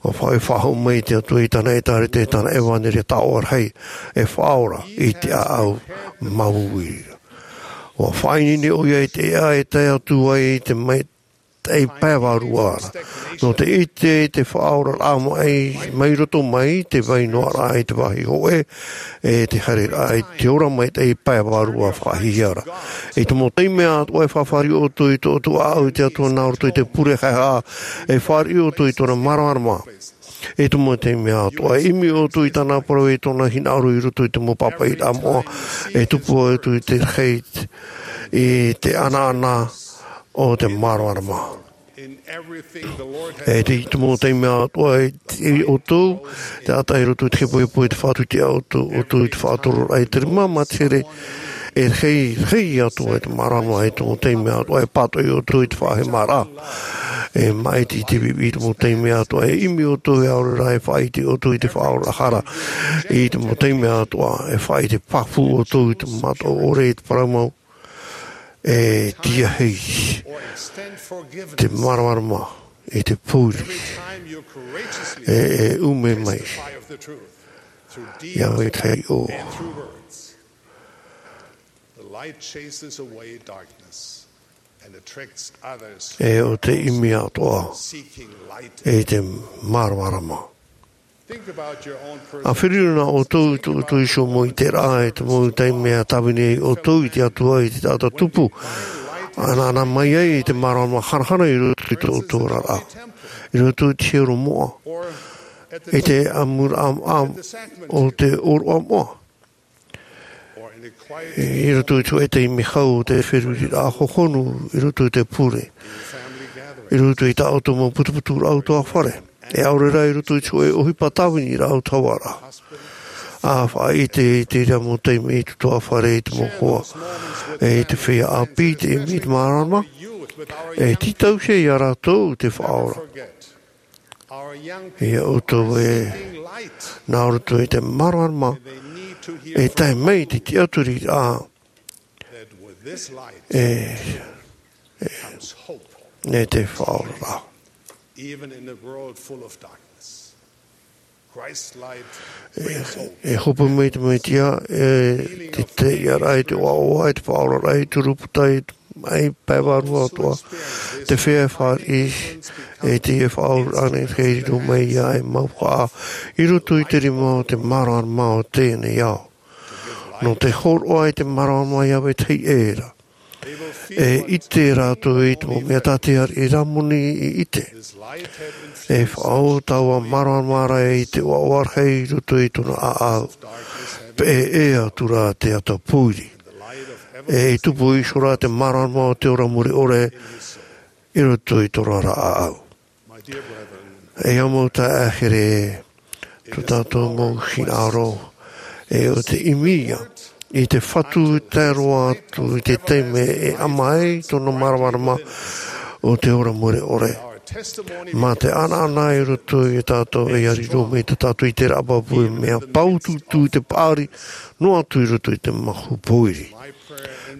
ʻUa faʻaʻite faʻahou mai te Atua i tāna ʻĒtārētia, tāna ʻevaneria taoʻa rahi, e faʻaora i te ʻāʻau māuiui. ʻUa faʻaineine ʻoia i te ʻēʻa e tae atu ai i te maitaʻi pae vārua ra. Nō te ʻite i te faʻaoraraʻa mai, mai roto mai, te vai noa ra i te vāhi hōʻē, e te haereraʻa i te ora maitaʻi pae vārua faʻahiahia ra. I te mau taime atoʻa e fāriʻi ʻoutou i tō ʻoutou ʻāʻau i te Atua nā roto i te pure haehaʻa, e fāriʻi ʻoutou i tōna māramarama. I te mau taime atoʻa e ʻimi ʻoutou i tāna parau, i tōna hinaʻaro i roto i te mau pāpaʻiraʻa moʻa, e tupu atu i te rahi, i te anaana o te māramarama. E te, i te mau taime atoʻa e tiʻa ʻoutou, te taʻata i roto i te hepohepo, i te faʻatupu ʻoutou, ʻoutou i te faʻatororaʻa i te rima, mā te here, e rahi, rahi atoʻa i te māramarama, i te mau taime atoʻa e pātoʻi ʻoutou i te faʻahemaraʻa. E maʻiti i te pipi, i te mau taime atoʻa e ʻimi ʻoutou, e ʻaore rā e faʻaʻite ʻoutou i te faʻaorahara. I te mau taime atoʻa e faʻaʻite pāpū ʻoutou i te mataʻu ʻore, i te parau mau. E tiahi te māramarama i te pōiri. E, e ʻume mai. ʻIa mai te hiʻo. E ʻo te ʻimi atoʻa i te māramarama. ʻA feruri nā ʻoutou i tō ʻoutou iho mau ʻiteraʻa, i te mau taime e tāvini ai ʻoutou i te Atua, i te taʻata tupu. ʻAnaʻana mai ai i te māramarama hanahana i roto i tō ʻoutou oraraʻa. I roto i te hiero moʻa, i te ʻamuraʻa o te ʻōroʻa moʻa, i roto i te hōʻē taime hau o te feruriraʻa hohonu, i roto i te pure, i roto i tā ʻoutou mau putuputuraʻa ʻutuāfare, e ʻaore rā i roto i te hōʻē ʻohipa tāviniraʻa ʻutuāfare. ʻA faʻaʻite i te reira mau taime i te ʻutuāfare, i te mau hoa, e i te feiā ʻāpī, i te ʻimi i te māramarama, e tītauhia ia rātou te Faʻaora. Ia ʻoutou e, nā roto i te māramarama, e tae mai te tiʻaturi, ā, e, e, e te Faʻaora. E hope mai te Mesia, e te taiʻoraʻa, e te ʻoaʻoa, e te faʻaoraraʻa, e te huru puta, e te pae vārua atoʻa, te feiā e fāriʻi, e te faʻaoraraʻa nei, e riro mai ia e mau faʻa, i roto i te rima o te māramarama o teie nei ao. Nō te hōroʻa i te māramarama ia vetahi ʻē ra. E ʻite rātou i te mau mea tā te ariʻi Ramoni i ʻite. E faʻaō taua māramarama ra i te ʻoaʻoa rahi i roto i tōna ʻāʻau. Peʻe ʻē atu rā te ata pōiri. E tupu iho rā te māramarama o te ora mure ʻore i roto i tōna ra ʻāʻau. E au mau taeaʻe here, tō tātou mau hinaʻaro, e ʻo te ʻimi ia i te Fatu tae roa atu i te taime e ʻama ai tōna māramarama o te ora mure ʻore. Mā te ʻanaʻana i roto ia tātou e riro mai tā tātou i te raʻa pāpū, e mea pau tūtū te paʻari, noa atu i roto i te mahu pōiri.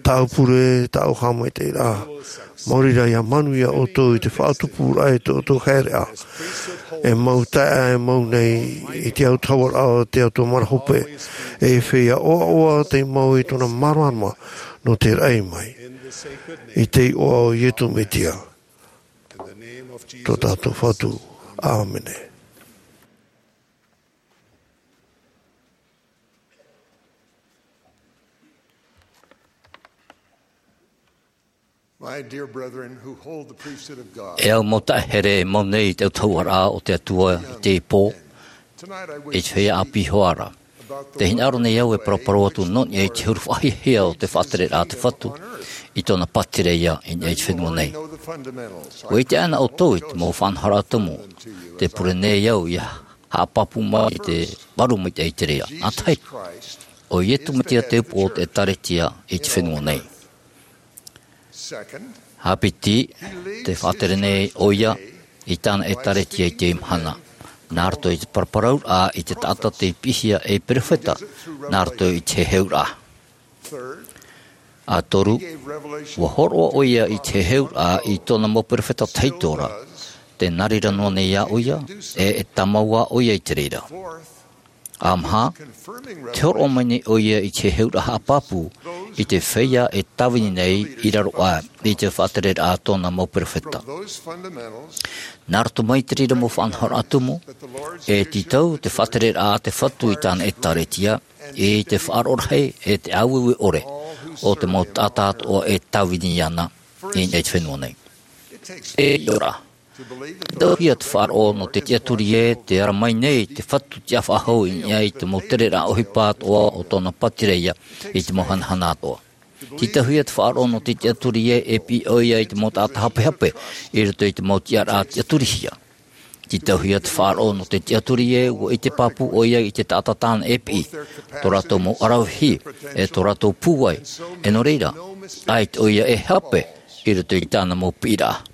Tāʻu pure, tāʻu haʻamaitaʻiraʻa, maori rā ia manuia ʻoutou i te faʻatupuraʻa i tō ʻoutou haereʻa. E mau taeaʻe e mau nei i te autahuʻaraʻa o te Atua manahope, e feiā ʻoaʻoa tei mau i tōna māramarama nō te raʻi mai. I te iʻoa o Iesu Mesia, tō tātou Fatu. ʻĀmene. My dear brethren who hold the priesthood of God, E au mau taeaʻe here e mau nei i te autahuʻaraʻa o te Atua i teie pō, tonight I wish i te feiā ʻāpī hoʻi ra. Te hinaʻaro nei au e paraparau atu nō niʻa i te huru faʻahiahia o te faʻatereraʻa a te Fatu i tōna pātireia i niʻa i te fenua nei. Know the fundamentals. ʻUa ʻite ānei ʻoutou i te mau faʻanahoraʻa tumu, tē pure nei au ia haʻapāpū mai i te varu maitaʻi i te reira. Nā te aha? ʻO Iesu Mesia te upoʻo o te ʻĒkālesia i te fenua nei. Haʻapiʻi, tē faʻatere nei ʻoia i tāna ʻĒkālesia i teie mahana, nā roto i te paraparauraʻa i te taʻata tei piʻihia ei perofeta, nā roto i te heheuraʻa. ʻA toru, ʻua hōroʻa ʻoia i te heheuraʻa i tōna mau perofeta tahito ra, tē nā reira noa nei ā ʻoia, e, e tāmau ā ʻoia i te reira. ʻA maha, tē hōroʻa mai nei ʻoia i te heheuraʻa haʻapāpū i te feiā e tāvini nei i raro aʻe i te faʻatereraʻa a tōna mau perofeta. Nā roto mai i te reira mau faʻanahoraʻa tumu, e tītau te faʻatereraʻa a te Fatu i tāna ʻĒkālesia, i te faʻaroʻo rahi, e te ʻāueue ʻore, o te mau taʻata atoʻa e tāvini iāna, i niʻa i te fenua nei. E ʻio ra. Tē tauhia te faʻaroʻo nō te tiʻaturi ē, tē ara mai nei te Fatu tiʻafaʻahou i niʻa i te mau tereraʻa ʻohipa atoʻa o tōna pātireia i te mau hanahana atoʻa. Tē tauhia te faʻaroʻo nō te tiʻaturi ē, e piʻi ʻoia i te mau taʻata hapehape, i roto i te mau tiʻaraʻa tiʻaturihia. Tē tauhia te faʻaroʻo nō te tiʻaturi ē, ʻua ʻite pāpū ʻoia i te taʻata tāna e piʻi, tō rātou mau ʻaravihi, e tō rātou pūai, e nō reira, ʻaita ʻoia e hape, i roto i tāna mau piʻiraʻa.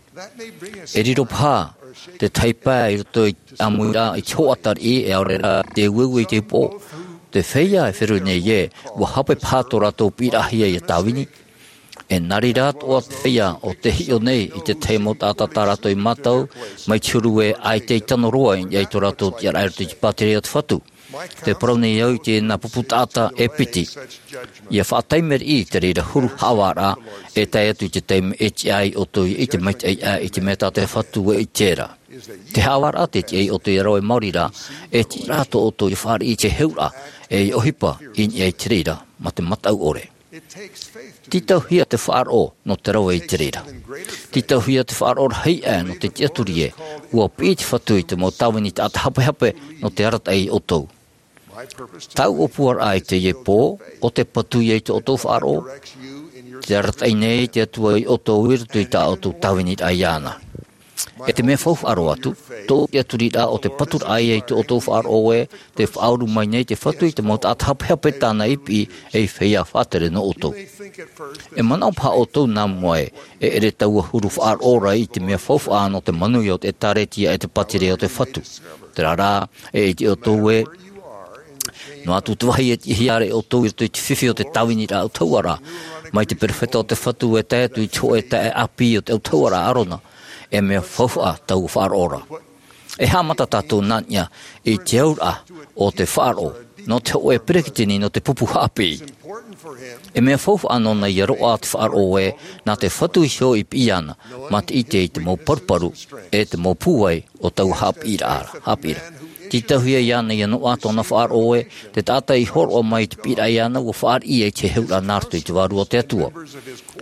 E riro paha te tahi pae i roto i te ʻāmuiraʻa i te hoʻatariʻi, e ʻaore rā te ueue i te upoʻo. Te feiā e feruri nei ē, ʻua hape paha tō rātou piʻiraʻahia ia tāvini. E nā reira atoʻa te feiā ʻo tē hiʻo nei i te tahi mau taʻata tā rātou i mātau, mai te huru ē ʻaita i tano roa i niʻa i tō rātou tiʻaraʻa i roto i te pātireia a te Fatu. Tē parau nei au i te nā pupu taʻata e piti. ʻIa faʻataime riʻi i te reira huru haʻavāraʻa, e tae atu i te taime e tiʻa ai ʻoutou i te maitaʻi aʻe i te mea tā te Fatu e ʻite ra. Te haʻavāraʻa tē tiʻa ai ʻoutou ia rave maori ra, e tiʻa rā tō ʻoutou ia fāriʻi i te heheuraʻa, e ʻohipa i niʻa i te reira, mā te mataʻu ʻore. Tē tauhia te faʻaroʻo nō te rave i te reira. Tē tauhia te faʻaroʻo rahi aʻe nō te tiʻaturi ē, ua piʻi te Fatu i te mau tāvini taʻata hapehape nō te arataʻi ia ʻoutou. Tāʻu ʻōpuaraʻa i teie pō, ʻo te patu ia i tō ʻoutou faʻaroʻo, te arataʻi nei te Atua ia ʻoutou i roto i tā ʻoutou tāviniraʻa iāna. E te mea faufaʻa roa atu, tōʻu tiʻaturiraʻa ʻo te paturaʻa ia i tō ʻoutou faʻaroʻo ē, tē faʻauru mai nei te Fatu i te mau taʻata hapehape tāna i piʻi ei feiā faʻatere nō ʻoutou. E manaʻo paha ʻoutou nā mua ē, e ʻere taua huru faʻaroʻo ra i te mea faufaʻa nō te manuia o te ʻĒkālesia e te pātireia o te Fatu. Terā rā, e ʻite ʻoutou ē, noa atu te vāhi e tiʻahia ra ʻoutou i roto i te fifi o te tāviniraʻa ʻautahuʻaraʻa, mai te perofeta o te Fatu e tae atu i te hōʻē taeaʻe ʻāpī o te ʻautahuʻaraʻa a ʻĀrona, e mea faufaʻa taua faʻaroʻo ra. E haʻamata tātou nā niʻa i te auraʻa o te faʻaroʻo nō te hōʻē peretiteni nō te pupu haʻapiʻi. E mea faufaʻa nōna ia roaʻa te faʻaroʻo ē, nā te Fatu iho i piʻi iāna, mā te ʻite i te mau paruparu, e te mau pūai o taua haʻapiʻiraʻa, haʻapiʻiraʻa. Tītauhia iāna ia noaʻa tōna faʻaroʻo ē, te taʻata i hōroʻa mai i te piʻiraʻa iāna ua fāriʻi i te heheuraʻa nā roto i te Vārua o te Atua.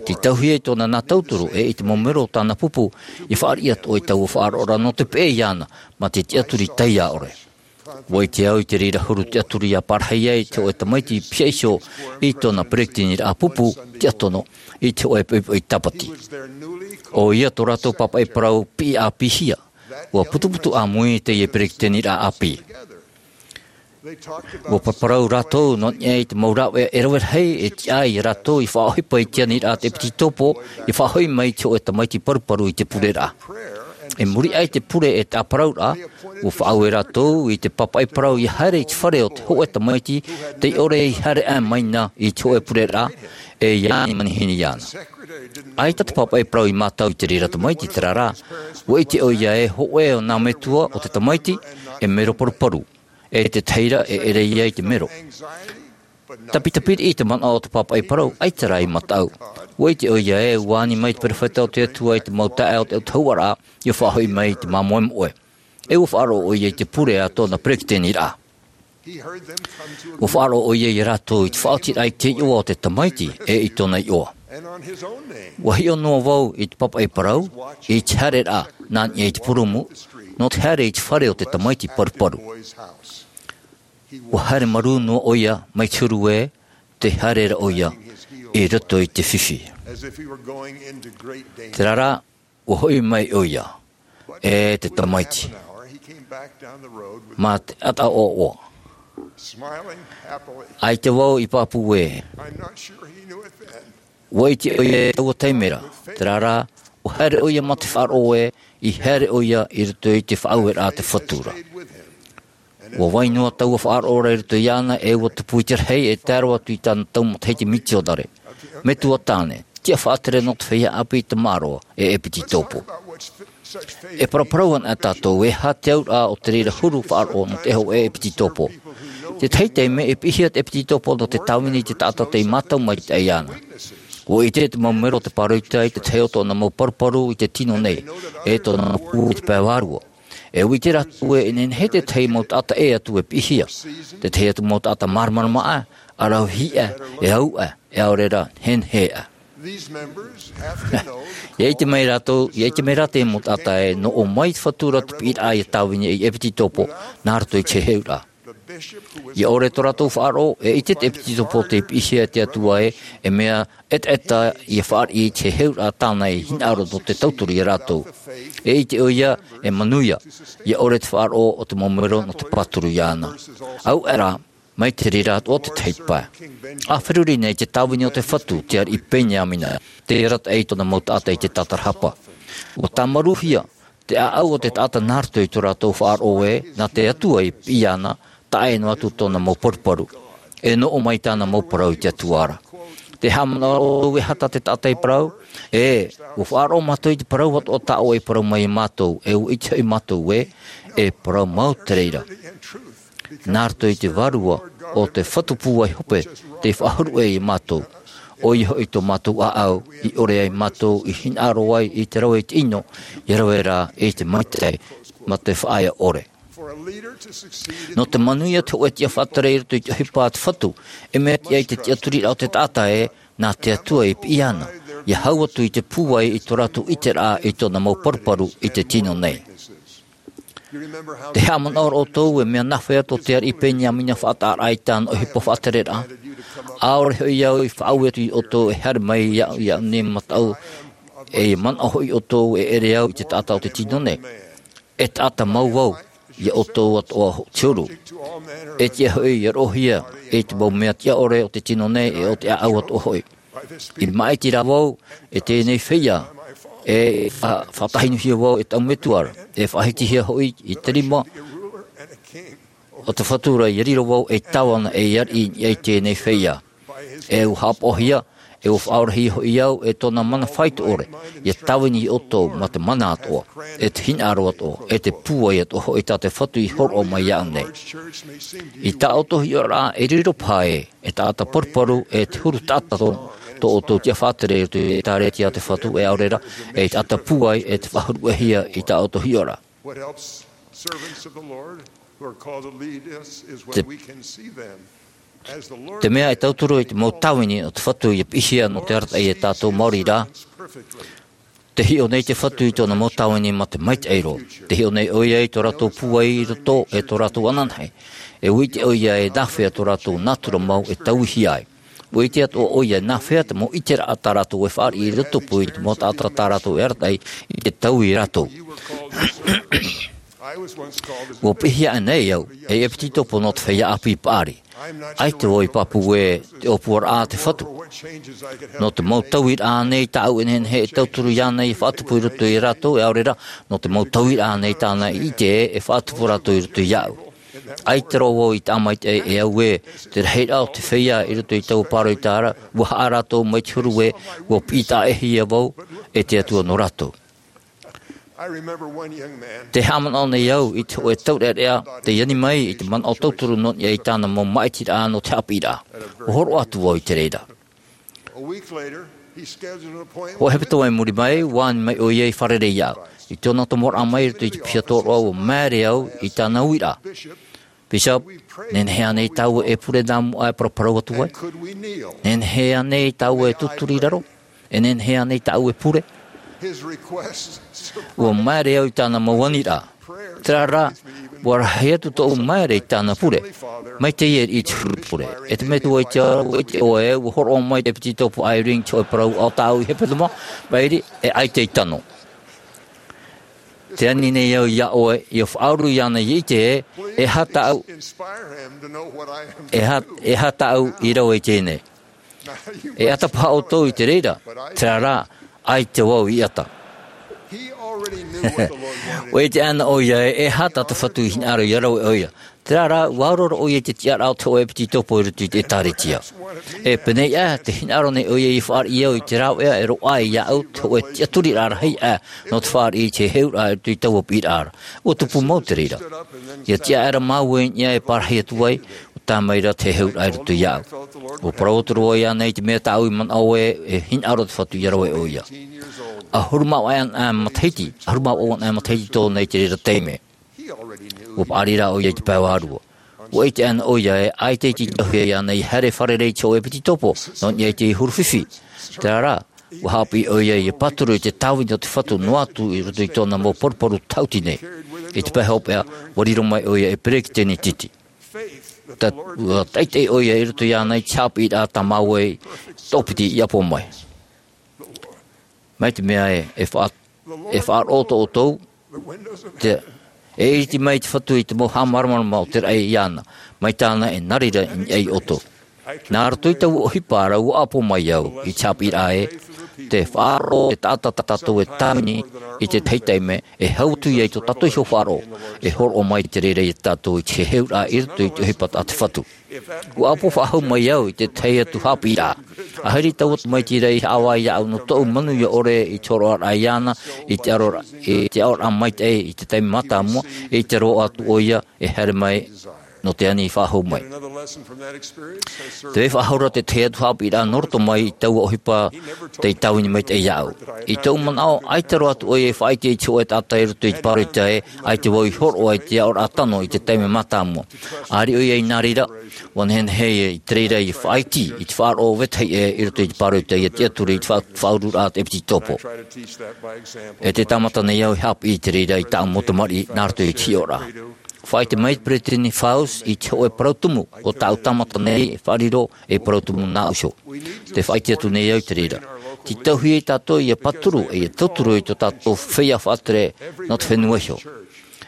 Tītauhia i tōna nā tauturu, e i te mau mero o tāna pupu, i fāriʻi atoʻa i taua faʻaroʻo ra nō te peʻe iāna, mā te tiʻaturi taiā ʻore. Ua ʻite au i te reira huru tiʻaturi ia pārahi ai te hōʻē tamaiti pihaʻi iho i tōna peretiteniraʻa pupu tiʻatono i te hōʻē poʻipoʻi tāpati. ʻOia tō rātou pāpaʻi parau piʻi ʻāpīhia. Ua putuputu ʻāmui teie peretiteniraʻa ʻāpī. Ua paraparau rātou nō niʻa i te mau rāveʻa e rave rahi e tiʻa ai ia rātou i faʻaʻohipa i te aniraʻa a te ʻEpititopo, i faʻahoʻi mai i te hōʻē tamaiti paruparu i te pureraʻa. I muri aʻe i te pure e te ʻāparauraʻa, ua faʻaue rātou i te pāpaʻi parau ia haere i te fare o te hōʻē tamaiti tei ʻore i haere aʻe mai na i te hōʻē pureraʻa, e ia ani manihini iāna. ʻAita te pāpaʻi parau i mātau i te reira tamaiti, terā rā, ua ʻite ʻoia ē hōʻē o nā metua o te tamaiti e mero paruparu, e te tahi ra e ʻere ia i te mero. Tapitapiriʻi te manaʻo o te pāpaʻi parau, ʻaita rā i mataʻu. Ua ʻite ʻoia ē, ua ani mai te perofeta o te Atua i te mau taeaʻe o te ʻautahuʻaraʻa, ia faʻahoʻi mai i te māmoemoʻe. E ua faʻaroʻo ʻoia i te pure a tōna peretiteniraʻa. Ua faʻaroʻo ʻoia ia rātou i te faʻaotiraʻa i te iʻoa o te tamaiti, e i tōna iʻoa. Ua hiʻo noa vau i te pāpaʻi parau, i te haereraʻa, nā niʻa i te purumu, nō te haere i te fare o te tamaiti paruparu. Ua haere marū noa ʻoia mai te huru ē, tē haere ra ʻoia i roto i te fifi. Terā rā, ua hoʻi mai ʻoia, e te tamaiti. Mā te ʻataʻoaʻoa. ʻAita vau i pāpū ē. Ua ʻite ʻoia i taua taime ra, terā rā, ua haere ʻoia mā te faʻaroʻo ē, i haere ʻoia i roto i te faʻaueraʻa a te Fatu ra. Ua vai noa taua faʻaroʻo ra i roto iāna, e ua tupu i te rahi e tae roa atu i tāna tau matahiti mitionare. Metua tāne, tiʻa faʻatere nō te feiā ʻāpī tamaroa, e ʻEpititopo. E paraparau ana tātou, e aha te auraʻa o te reira huru faʻaroʻo nō te hōʻē ʻEpititopo. Tētahi taime e piʻihia te ʻEpititopo nō te tāvini i te taʻata tei mātau maitaʻi iāna. Ua ʻite te mau mero o te pāroita i te tahi o tōna mau paruparu i te tino nei, e tōna mau pū i te pae vārua. E ʻite rātou ē, e nehenehe tētahi mau taʻata ʻē atu e piʻihia. Tētahi atu mau taʻata māramarama aʻe, ʻaravihi aʻe, e au aʻe, e ʻaore rā, nehenehe aʻe. ʻIa ʻite mai rātou, ʻia ʻite mai rā te mau taʻata ē, nō ʻō mai te Fatu ra te piʻiraʻa ʻia tāvini ai ʻEpititopo, nā roto i te heheuraʻa. ʻIa ʻore tō rātou faʻaroʻo, e ʻite te ʻEpititopo tei piʻihia e te Atua ē, e mea ʻetaʻeta ʻia fāriʻi i te heheuraʻa tāna i hinaʻaro nō te tauturu ia rātou. E ʻite ʻoia, e manuia, ʻia ʻore te faʻaroʻo o te mau mero nō te pāturu iāna. Au aʻe rā, mai te reira atoʻa te tahi pae. ʻA feruri nei te tāvini o te Fatu, te ariʻi Peniamina, tei arataʻi i tōna mau taʻata i te tātarahapa. Ua tāmarūhia, te ʻāʻau o te taʻata nā roto i tō rātou faʻaroʻo ē, nā te Atua i piʻi iāna, taʻa ʻē noa atu tōna mau paruparu. E nō ʻō mai tāna mau parau i te Atua ra. Tē haʻamanaʻo ra ʻoutou e aha tā te taʻata i parau? E, ua faʻaroʻo mātou i te parau atoʻa tā ʻoe i parau mai ia mātou, e ua ʻite hoʻi mātou ē, e parau mau te reira. Nā roto i te Vārua o te Fatu pūai hope, tei faʻahuru ʻē ia mātou. ʻOia hoʻi tō mātou ʻāʻau, i ʻore ai mātou, i hinaʻaro ai i te rave i te ʻino, ʻia rave rā i te maitaʻi, mā te faʻaea ʻore. Nō te manuia te hōʻē tiʻa faʻatere i roto i te ʻohipa a te Fatu, e mea tiʻa i te tiʻaturiraʻa o te taʻata ē, nā te Atua i piʻi iāna, ʻia hau atu i te pūai i tō rātou ʻiteraʻa i tōna mau paruparu i te tino nei. Te haʻamanaʻo ra ʻoutou e mea nāfea tō te ariʻi Peniamina faʻataʻaraʻa i tāna ʻohipa faʻatereraʻa? ʻAore hoʻi au i faʻaue atu iā ʻoutou e haere mai iāʻu, iāʻu nei mataʻu, e manaʻo hoʻi ʻoutou e ʻere au i te taʻata o te tino nei. E taʻata mau vau, iā ʻoutou atoʻa te huru. E tiʻa hoʻi ia roʻohia e te mau mea tiʻa ʻore o te tino nei e o te ʻāʻau atoʻa hoʻi. I māʻiti rā vau e teie nei feiā, e fa-, faʻatahinuhia vau e taʻu metua ra, e faʻahitihia hoʻi i te rima o te Fatu ra, ʻia riro vau ei tāvana e ariʻi i teie nei feiā. E ʻua haʻapaʻohia, e ʻua faʻaorahia hoʻi au e tōna mana faito ʻore, ʻia tāvini iā ʻoutou ma te mana atoʻa, e te hinaʻaro atoʻa, e te pūai atoʻa hoʻi tā te Fatu i hōroʻa mai iāʻu nei. I tā ʻoutou hiʻoraʻa e riro paha ē, e taʻata paruparu, e te huru taʻata tō, tō ʻoutou tiʻa faʻatere i roto i te ʻĒtārētia a te Fatu, e ʻaore rā, e taʻata pūai, e te faʻahuruʻahia i tā ʻoutou hiʻoraʻa. What helps servants of the Lord who are called to lead us is when Te, we can see them as the Lord te mea e tauturu i te mau tāvini o te Fatu ʻia piʻihia nō te arataʻi e tātou maori rā, perfectly. Te hiʻo nei te Fatu i tōna mau tāvini ma te maitaʻi roa. Te hiʻo nei ʻoia i tō rātou pūai i roto e tō rātou ananahi. E ʻite ʻoia e nāfea tō rātou nātura mau e tauihia ai. ʻUa ʻite atoʻa ʻoia e nāfea te mau ʻiteraʻa tā rātou e fāriʻi i rotopū i te mau taʻata tā rātou e arataʻi i te taui iā rātou. ʻUa piʻihia aʻenei au ei ʻepititopo nō te feiā ʻāpī paʻari. ʻAita vau i pāpū ē te ʻōpuaraʻa a te Fatu. Nō te mau tauiraʻa nei tāʻu e nehenehe e tauturu iāna ʻia faʻatupu i roto iā rātou, e ʻaore rā, nō te mau tauiraʻa nei tāna i ʻite ē e faʻatupu rātou i roto iāʻu. ʻAita roa vau i tāmaitaʻi e au ē te rahiraʻa o te feiā i roto i taua pāroita ra, ʻua haʻa rātou mai te huru ē ʻua piʻi taʻahia vau e te Atua nō rātou. I remember one young man Te haʻamanaʻo nei au i te hōʻē taureʻareʻa tei ani mai i te manaʻo tauturu nō niʻa i tāna mau māʻitiraʻa nō te haʻapiʻiraʻa. ʻUa hōroʻa atu vau i te reira. A week later, he scheduled an appointment. Hōʻē hepetoma i muri mai, ʻua ani mai ʻoia i fārerei iāʻu. I tōna tomoraʻa mai i roto i te piha tōroʻa, ʻua māere au i tāna uiraʻa. Bishop, nehenehe ānei tāua e pure nā mua e paraparau atu ai? Nehenehe ānei tāua e tūturi i raro? E nehenehe ānei tāua e pure? His request surprised ʻUa māere au i tāna mau aniraʻa. Terā rā, ʻua rahi atu tōʻu māere i tāna pure. Mai teie i te huru pure. E te Metua i te ao, ʻua ʻite ʻoe, ʻua hōroʻa mai te ʻepititopo Eyring te hōʻē parau ʻo tāʻu i hepetoma, mairi, e ʻaita i tano. Tē ani nei au iā ʻoe, ʻia faʻauru iāna ʻia ʻite ē, e aha tāʻu, e aha, e aha tāʻu i rave i teie nei. E ʻata paha ʻoutou i te reira, terā rā, ʻaita vau i ʻata. ʻUa ʻite ana ʻoia ē, e aha tā te Fatu i hinaʻaro ʻia rave ʻoia. Terā rā, ʻua auraro ʻoia i te tiʻaraʻa o te hōʻē ʻepititopo i roto i te ʻĒtārētia. E pēneiaʻe, tē hinaʻaro nei ʻoia ʻia fāriʻi au i te rāveʻa e roaʻa iāʻu, te hōʻē tiʻaturiraʻa rahi aʻe nō te fāriʻi i te heheuraʻa i roto i taua piʻiraʻa ra. ʻUa tupu mau te reira. ʻIa tiʻa aʻera māua i niʻa e pārahi atu ai, ʻua tae mai ra te heheuraʻa i roto iāʻu. ʻUa parau atu ra vau iāna i te mea tāʻu i manaʻo ē, e hinaʻaro te Fatu ʻia rave ʻoia. ʻAhuru mā vaʻu anaʻe matahiti, ʻahuru mā vaʻu anaʻe matahiti tōna i te reira taime. ʻUa paʻari rā ʻoia i te pae vārua. ʻUa ʻite ana ʻoia ē, ʻaita i te tauhia iāna ʻia haere fārerei i te hōʻē ʻepititopo, nō niʻa i te huru fifi. Terā rā, ʻua haʻapiʻi ʻoia ʻia pāturu i te tāvini o te Fatu noa atu i roto i tōna mau paruparu tāʻuti nei. I te pae hopeʻa, ʻua riro mai ʻoia ei peresideni titi. Ta-, ʻua taʻitaʻi ʻoia i roto iāna i te haʻapiʻiraʻa tā māua i toʻopiti i ʻapo mai. Mai te mea ē, e faʻa-, e faʻaroʻo tō ʻoutou, te, e ʻiriti mai te Fatu i te mau haʻamāramarama o te raʻi iāna, mai tāna e nā reira i niʻa iā ʻoutou. Nā roto i taua ʻohipa ra ʻua ʻapo mai au i te haʻapiʻiraʻa ē, te faʻaroʻo e taʻata tā tātou e tāvini i te tahi taime, e hau atu ia i tō tātou iho faʻaroʻo, e hōroʻa mai te reira iā tātou i te heheuraʻa i roto i te ʻohipa a te Fatu. ʻUa ʻapo faʻahou mai au i te tahi atu haʻapiʻiraʻa. Ahiri taua tamaiti ra i haʻavā iāʻu nō tōʻu manuia ʻore i te hōroʻaraʻa iāna, i te aro ra-, i te aʻoraʻa maitaʻi i te taime mātāmua, i te roaʻa atu ʻoia e haere mai nō te ani i faʻahou mai. Te faʻahou ra te tahi atu haʻapiʻiraʻa nō roto mai i taua ʻohipa tei tāvini maitaʻi iāʻu. I tōʻu manaʻo, ʻaita roa atu ʻoia i faʻaʻite i te hōʻē taʻata i roto i te pāroita ē, ʻaita vau i hōroʻa i te aʻoraʻa tano i te taime mātāmua. ʻĀreʻa ʻoia i nā reira, ʻua nehenehe ia i te reira i faʻaʻite i te faʻaroʻo vetahi ʻē i roto i te pāroita ia tiʻaturi i te faʻa-, faʻaururaʻa a te ʻEpititopo. E tē tāmata nei au e haʻapiʻi i te reira i tāʻu mau tamariʻi nā roto i te hiʻoraʻa. Faʻaʻite mai te Peresideni Faust i te hōʻē parau tumu o tāʻu tāmata nei e faʻariro ei parau tumu nā ʻō iho. Tē faʻaʻite atu nei au i te reira. Tē tauhia ia tātou ia pāturu, ʻe ia tauturu i tō tātou feiā faʻatere nō te fenua iho.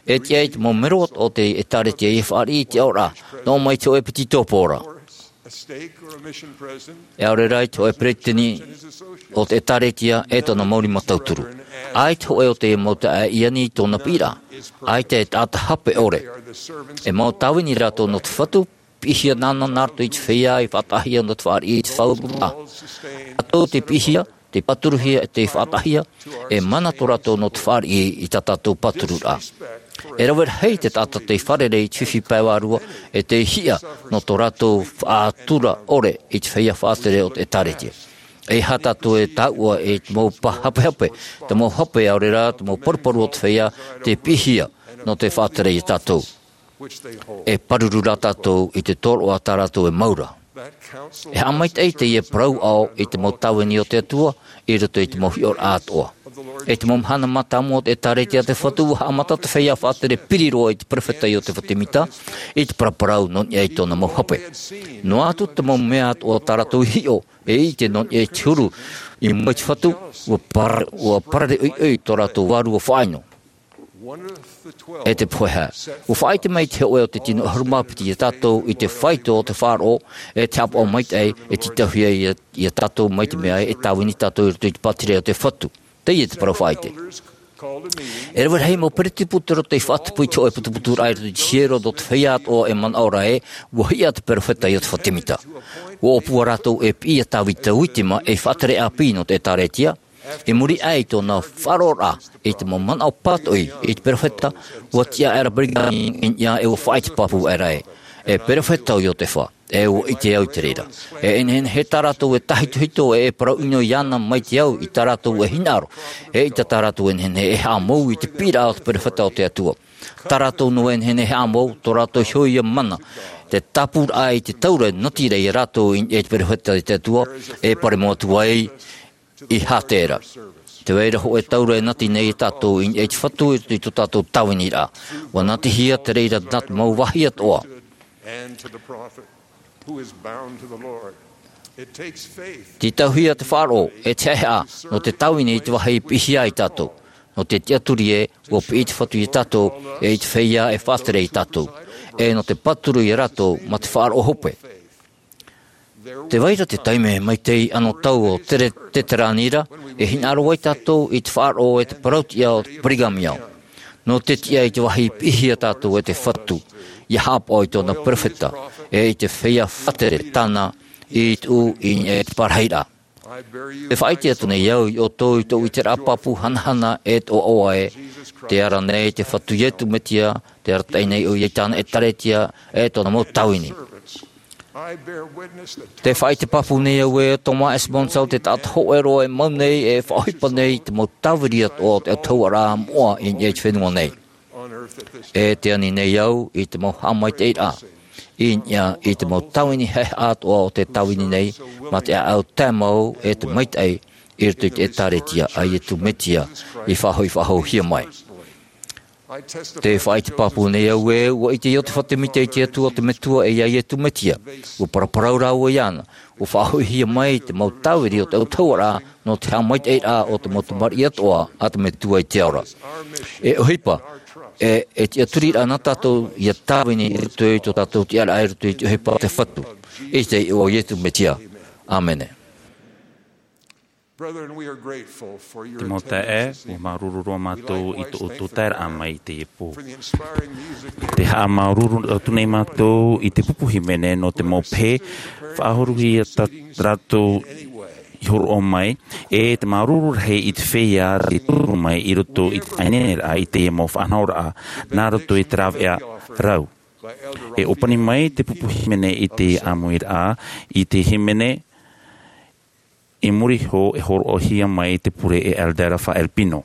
E tiʻa i te mau mero o te ʻĒtārētia ia fāriʻi i te aʻoraʻa, noa mai te hōʻē ʻEpititopo ra. E ʻaore rā i te hōʻē peresideni o te ʻĒtārētia ʻe tōna mau rima tauturu. ʻAita hōʻē o te mau taeaʻe i ani i tōna piʻiraʻa. ʻAita e taʻata hape ʻore. E mau tāvini rātou nō te Fatu, piʻihia nāna nā roto i te feiā i faʻataʻahia nō te fāriʻi i te faʻaururaʻa. Rātou tei piʻihia, tei pāturuhia, tei faʻataʻahia, e mana tō rātou nō te fāriʻi i tā tātou pātururaʻa. E rave rahi te taʻata tei fārerei i te fifi pae vārua, ʻe tei hiʻa nō tō rātou faʻatura ʻore i te feiā faʻatere o te ʻĒtārētia. ʻEiaha tātou e taʻua i te mau pa-, hapehape, te mau hape ʻaore rā, te mau paruparu o te feiā, tei piʻihia nō te faʻatere ia tātou. E pāruru rā tātou i te tōroʻa tā rātou e mau ra. E haʻamaitaʻi teie parau ʻao i te mau tāvini o te Atua, i roto i te mau hiʻoraʻa atoʻa. I te mau mahana mātāmua o te ʻĒtārētia a te Fatu, ʻua haʻamata te feiā faʻatere piri roa i te perofeta Iotefa Temita, i te paraparau nō niʻa i tōna mau hape. Noa atu te mau mea atoʻa tā rātou i hiʻo, ʻe ʻite nō niʻa i te huru i mua i te Fatu, ʻua par-, ʻua parare ʻoiʻoi tō rātou vārua faʻaʻino. ʻE te pohe hā, ʻua faʻaʻite mai te hōʻē o te tino ʻahuru mā piti ia tātou i te faito o te faʻaroʻo, ʻe te haʻapaʻo maitaʻi, e tītauhia ia, ia tātou mai te mea ē, e tāvini tātou i roto i te pātireia o te Fatu. Teie te parau faʻaʻite. E rave rahi mau peretipu tei roto i faʻatupu i te hōʻē putuputuraʻa i roto i te hiero nō te feiā atoʻa e manaʻo ra ē, ʻua hiʻa te perofeta Iotefa Temita. ʻUa ʻōpua rātou e piʻi ia Tāvita Uitima ei faʻatere ʻāpī nō te ʻĒtārētia, i muri aʻe i tōna faʻaroʻoraʻa i te mau manaʻo pātoʻi i te perofeta, ʻua tiʻa aʻera Brigham Young i niʻa ʻe ʻua faʻaʻite pāpū aʻera ē, e perofeta ʻo Iotefa, ʻe ʻua ʻite au i te reira. E nehenehe tā rātou e tāhitohito ʻe e parau ʻino iāna mai te au i tā rātou e hinaʻaro, eʻita tā rātou e nehenehe e haʻamou i te piʻiraʻa o te perofeta o te Atua. Tā rātou noa e nehenehe e haʻamou, tō rātou iho ia mana, te tāpūraʻa i te taura e nati ra ia rātou i, i te perofeta i te Atua, e paremo atu ai, i hātere ra. Tē vai ra hōʻē taura e nati nei ia tātou i, i te Fatu i, i tō tātou tāviniraʻa. ʻUa natihia te reira nā te mau vāhi atoʻa. Tītauhia te faʻaroʻo, ʻe te haʻehaʻa, nō te tāvini i te vāhi i piʻihia ai tātou. Nō te tiʻaturi ē, ʻua piʻi te Fatu ia tātou, ʻe i te feiā e faʻatere ia tātou. ʻE nō te pāturu ia rātou, mā te faʻaroʻo hope. Tē vai ra te taime maitaʻi anotau o te re-, te terāni ra, e hinaʻaro ai tātou i te faʻaroʻo ʻe te parau-tiʻa o Brigham Young. Nō te tiʻa i te vāhi i piʻihia tātou e te Fatu, ʻia haʻapaʻo i tōna perofeta, ʻe i te feiā faʻatere tāna i tuʻu i, i te parahiraʻa. Tē faʻaʻite atu nei au ia ʻoutou i tōʻu ʻiteraʻa pāpū hanahana ʻe toʻotoʻo ē, tē ara nei te Fatu Iesu Mesia, tē arataʻi nei ʻoia i tāna ʻĒtārētia, ʻe tōna mau tāvini. Tē faʻaʻite pāpū nei au ē, Thomas S. Monson te taʻata hōʻē roa e mau nei, e faʻaʻohipa nei i te mau tāviri atoʻa o te autahuʻaraʻa moʻa i, i te fenua nei. E tē ani nei au i te mau haʻamaitaʻiraʻa i niʻa i te mau tāvini haʻehaʻa atoʻa o te tāvini nei, mā te ʻāʻau tae mau ʻe te maitaʻi i roto i te ʻĒtārētia a Iesu Mesia i faʻahou, i faʻahouhia mai. Tē faʻaʻite pāpū nei au ē, ʻua ʻite Iotefa Temita i te Atua, te Metua ʻe ia Iesu Mesia. ʻUa paraparau rāua iāna, ʻua faʻahoʻihia mai te mau tāviri o te autahuʻaraʻa nō te haʻamaitaʻiraʻa o te mau tamariʻi atoʻa a te Metua i te ao ra. E ʻohipa, e, e tiʻaturiraʻa nā tātou ʻia tāvini i roto i tō tātou tiʻaraʻa i roto i te ʻohipa a te Fatu. I te iʻoa o Iesu Mesia. ʻĀmene. Brethren, we are grateful for your Te mau taeaʻe, attendance this ua māuruuru roa mātou i tō ʻoutou taeraʻa mai i teie pō. Te haʻamāuruuru atu nei mātou i te pupu hīmene nō te mau pehe, faʻahorohia tā rātou i hōroʻa mai, ʻe te māuruuru rahi i te feiā tei tauturu mai i roto i te faʻaineineraʻa i teie mau faʻanahoraʻa, nā roto i te rāveʻa rau. E ʻōpani mai te pupu hīmene i te ʻāmuiraʻa, i te hīmene i muri iho e hōroʻahia mai te pure e Elder Raphael Pino.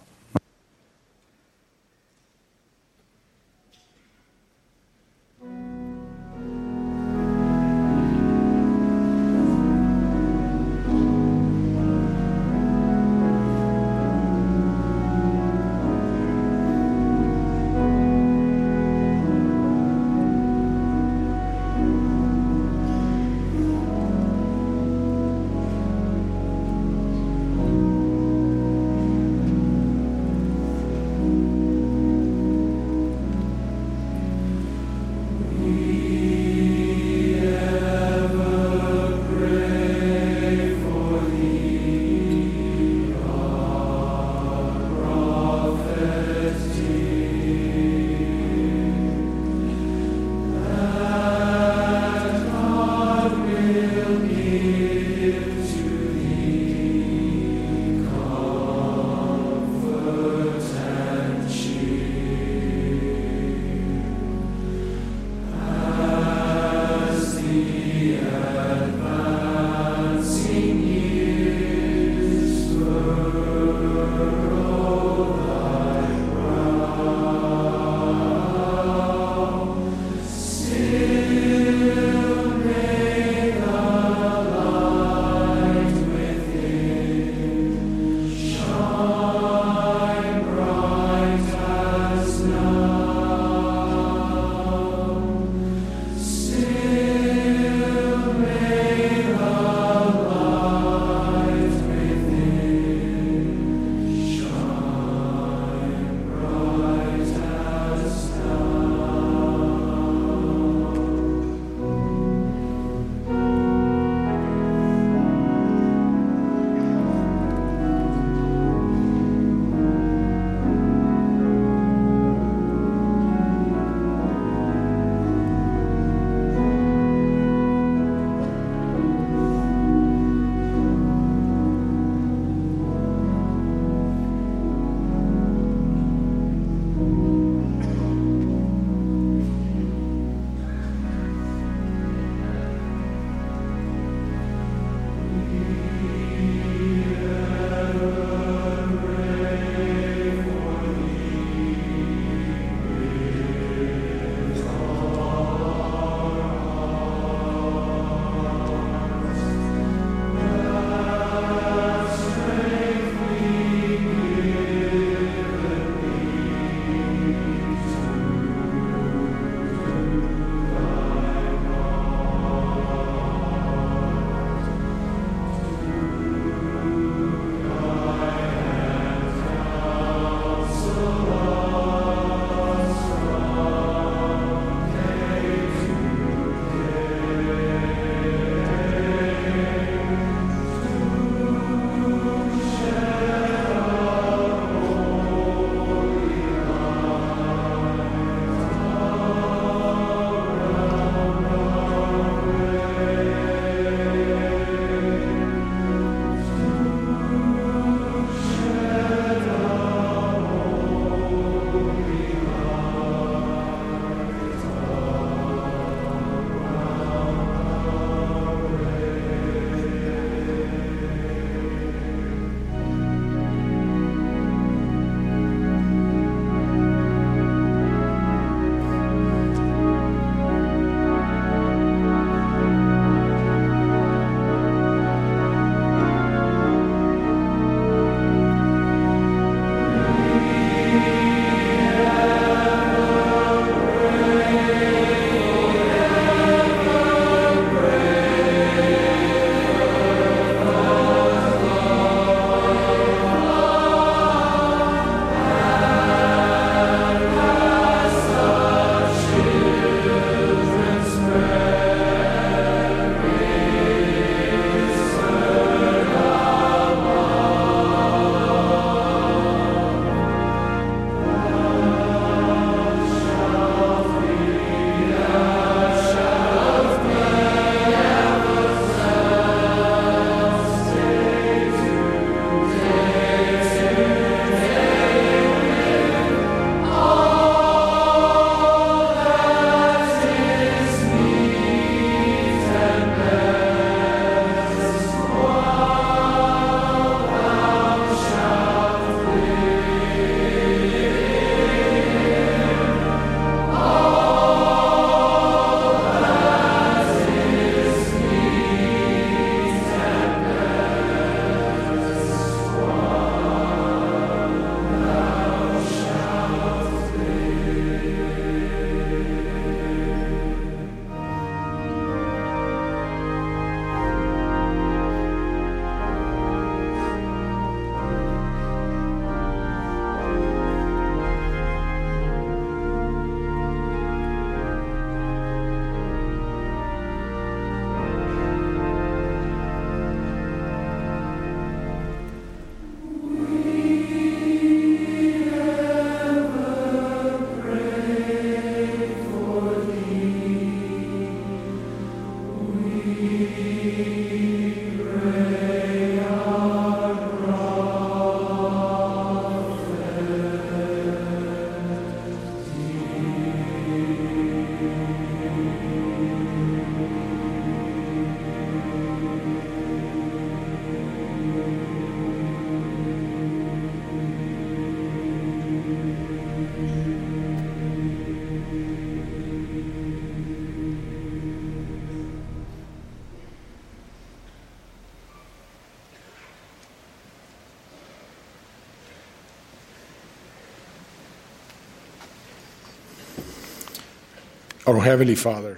Our Heavenly Father,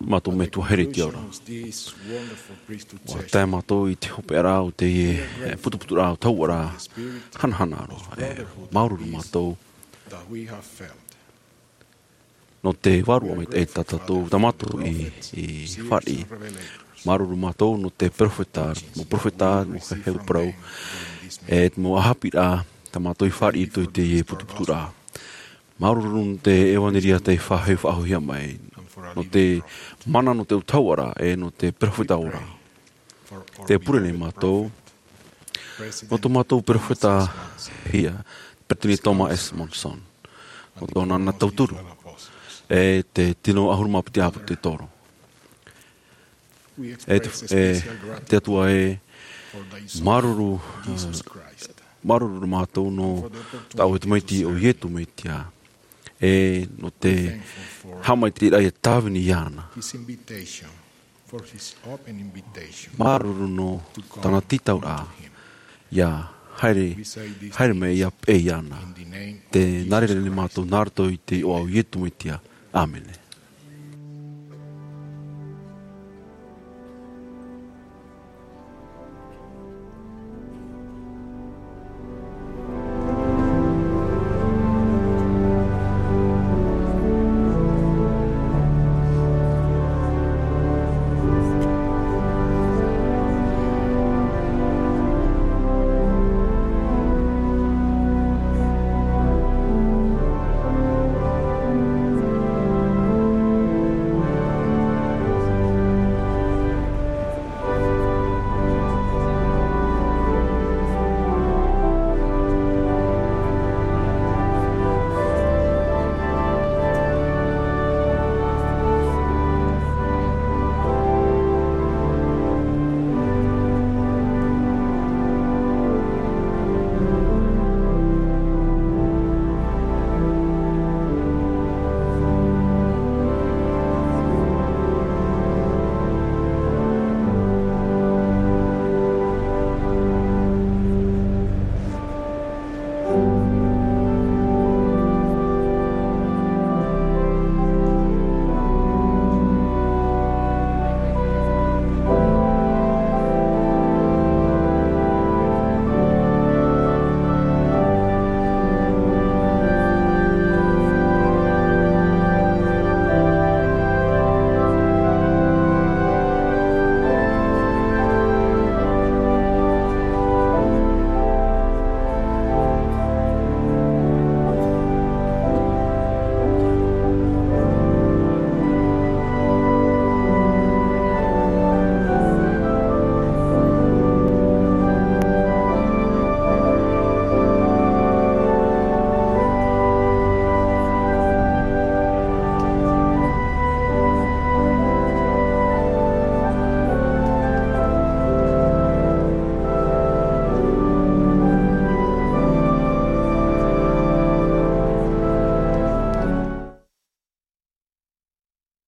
mātou Metua here i te ao ra. Ua tae mātou i te hopeʻa ra o teie putuputuraʻa o tauʻa ra hanahana roa. E māuruuru mātou nō te vārua maitaʻi tā tātou tā mātou i fāriʻi. Māuruuru mātou nō te peropheta mau peropheta mau heheu parau, e mau ʻāpīraʻa tā mātou i fāriʻi i teie putuputuraʻa. Māuruuru nō te ʻevanelia tei faʻahoʻihia mai, nō te mana nō te tauʻa ra e nō te peropheta ora. Te pure nei mātou nō tō mātou peropheta hia, peretiteni Thomas S Monson, nō tōna tauturu e te tino ʻahuru mā piti ʻāpōsetolo. E te atua e māuruuru māuruuru mātou nō tāʻu e tamaiti o iesu mesia, e nō te haʻamaitaʻiraʻa ia tāvini iāna. Māuruuru nō tāna tītauraʻa ia haere haere mai ia peʻe iāna. Te nā reira nei mātou nā roto i te iʻoa o iesu mesia. Āmene.